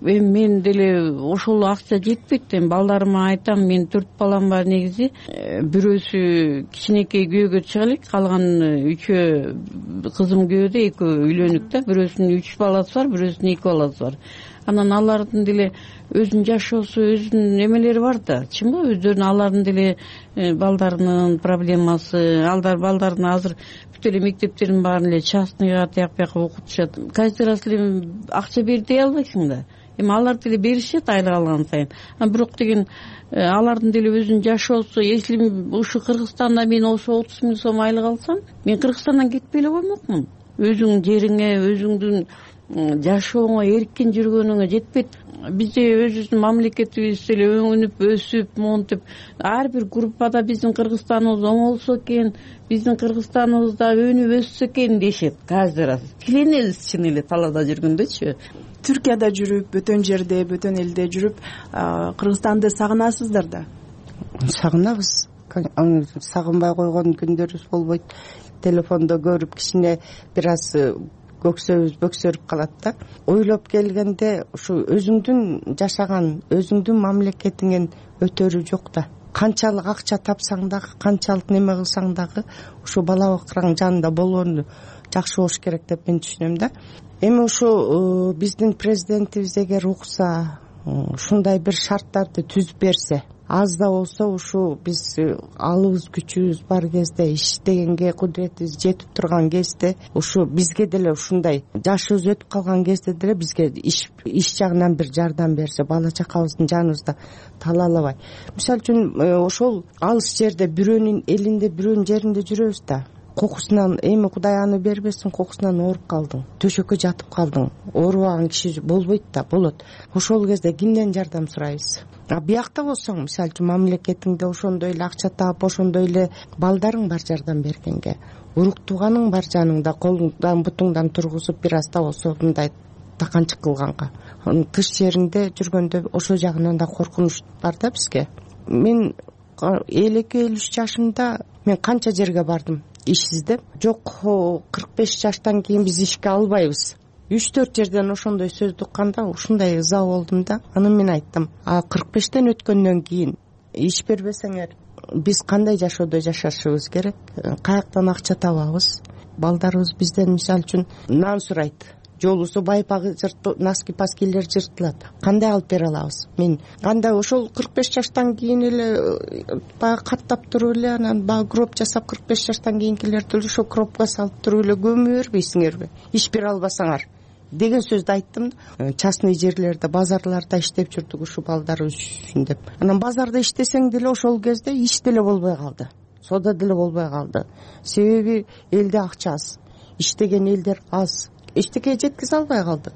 Эми мен деле ошол акча жетпейт. Эми балдарыма айтам, мен 4 балам бар негизи. Бирөөсү кичинекей күйөөгө чыга элек, калган 3 кызым күйөөдө, 2 үйлөнүк да. Бирөөсүнүн 3 баласы бар, бирөөсүнүн 2 баласы бар. Анан алардын деле өзүнүн жашоосу, өзүнүн эмелери бар да, чынбы? Өздөрүнүн алардын деле балдарынын проблемасы, балдарын азыр бүт эле мектептердин баарын эле частныйга тияк бияка окутушат. Каждый раз эле акча бер дей албайсың да. Эми алар деле беришет айлык алган сайын. Бирок деген алардын деле өзүнүн жашоосу, если ушу Кыргызстанда мен ошо 30 000 сом айлык алсам, мен Кыргызстандан кетпей эле коймокмун. Өзүңдүн жериңе, өзүңдүн жашооңо эркин жүргөнүңө жетпейт. Бизде өзүбүздүн мамлекетибиз эле өнүп, өсүп, монтип, ар бир группада биздин Кыргызстаныбыз оңолсо экен, биздин Кыргызстаныбызда өнүп өссө экен дешет каждый раз. Киленебиз чын эле талаада жүргөндөчү. Түркияда жүрүп, бөтөн жерде, бөтөн элде жүрүп, Кыргызстанды сагынасыздар да? Сагынабыз. Сагынбай койгон күндөрүбүз болбойт. Телефондо көрүп кичине бир аз көксөбүз бөксөрүп калат да. Ойлоп келгенде ушу өзүңдүн жашаган, өзүңдүн мамлекетиңен өтөрү жок да. Канчалык акча тапсаң дагы, канчалык неме кылсаң дагы, ушу бала бакыраң жанында болгону жакшы болуш керек деп мен түшүнөм да. Эми ушу биздин президентибиз эгер укса, ушундай бир шарттарды түзүп берсе, аз да болсо ушу биз алыбыз күчүбүз бар кезде, иштегенге кудуретибиз жетип турган кезде, ушу бизге деле ушундай жашыбыз өтүп калган кезде деле бизге иш жагынан бир жардам берсе, бала чакабыздын жаныбызда талалабай. Мисалы үчүн ошол алыс жерде бирөөнүн элинде, бирөөнүн жеринде жүрөбүз да. Кокусунан, эми Кудай аны бербесин, кокусунан ооруп калдың, төшөккө жатып калдың, оорубаган киши болбойт да, болот. Ошол кезде кимден жардам сурайбыз? Биякта болсоң, мисалы үчүн мамлекетиңде ошондой эле акча таап, ошондой эле балдарың бар жардам бергенге, урук тууганың бар жаныңда, колуңдан бутуңдан тургузуп бир аз да болсо мындай таканчык кылганга. Тыш жериңде жүргөндө ошол жагынан да коркунуч бар да бизге. Мен 52-53 жашымда мен канча жерге бардым иш издеп. Жок, 45 жаштан кийин биз ишке албайбыз. 3-4 жерден ошондой сөздү укканда ушундай ыза болдум да. Анан мен айттым, 45тен өткөндөн кийин иш бербесеңер биз кандай жашоодо жашашыбыз керек? Каяктан акча табабыз? Балдарыбыз бизден мисалы үчүн нан сурайт. Жолусу байпагы носки-паскилер жыртылат. Кандай алып бере алабыз? Мен кандай ошол 45 жаштан кийин эле баягы каттап туруп эле, анан баягы гроб жасап 45 жаштан кийинкилерди ошо гробко салып туруп эле көмө бербейсиңерби? Иш бере албасаңар. деген сөздү айттым. Частный жерлерде, базарларда иштеп жүрдүк ушул балдар үчүн деп. Анан базарда иштесең деле ошол кезде иш деле болбой калды, соода деле болбой калды. Себеби элде акча аз, иштеген элдер аз, эчтеке жеткизе албай калдык.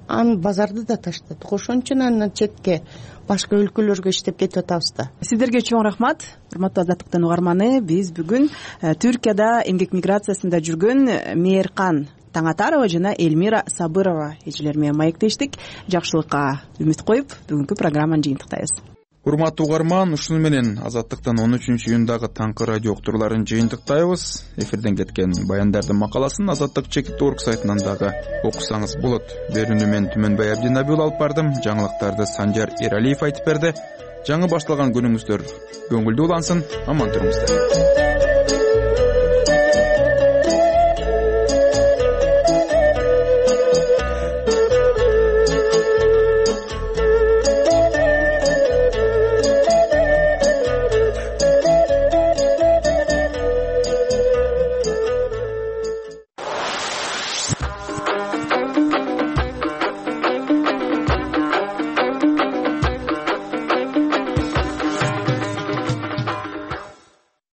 Анан базарды да таштадык. Ошон үчүн анан четке башка өлкөлөргө иштеп кетип атабыз да. Сиздерге чоң рахмат, урматтуу Азаттыктын угарманы. Биз бүгүн Түркияда эмгек миграциясында жүргөн Мээркан Таңатарова жана Элмира Сабырова эжелер менен маектештик. Жакшылыкка үмүт коюп, бүгүнкү программаны жыйынтыктайбыз. Урматтуу угарман, ушуну менен Азаттыктын 13-июндагы таңкы радио уктурууларын жыйынтыктайбыз. Эфирден кеткен баяндардын макаласын Азаттык чекит.org сайтынан дагы окусаңыз болот. Берүүнү мен Түмөнбай Абдинаби алып бардым. Жаңылыктарды Санжар Эралиев айтып берди. Жаңы башталган күнүңүздөр көңүлдүү улансын, аман туруңуздар.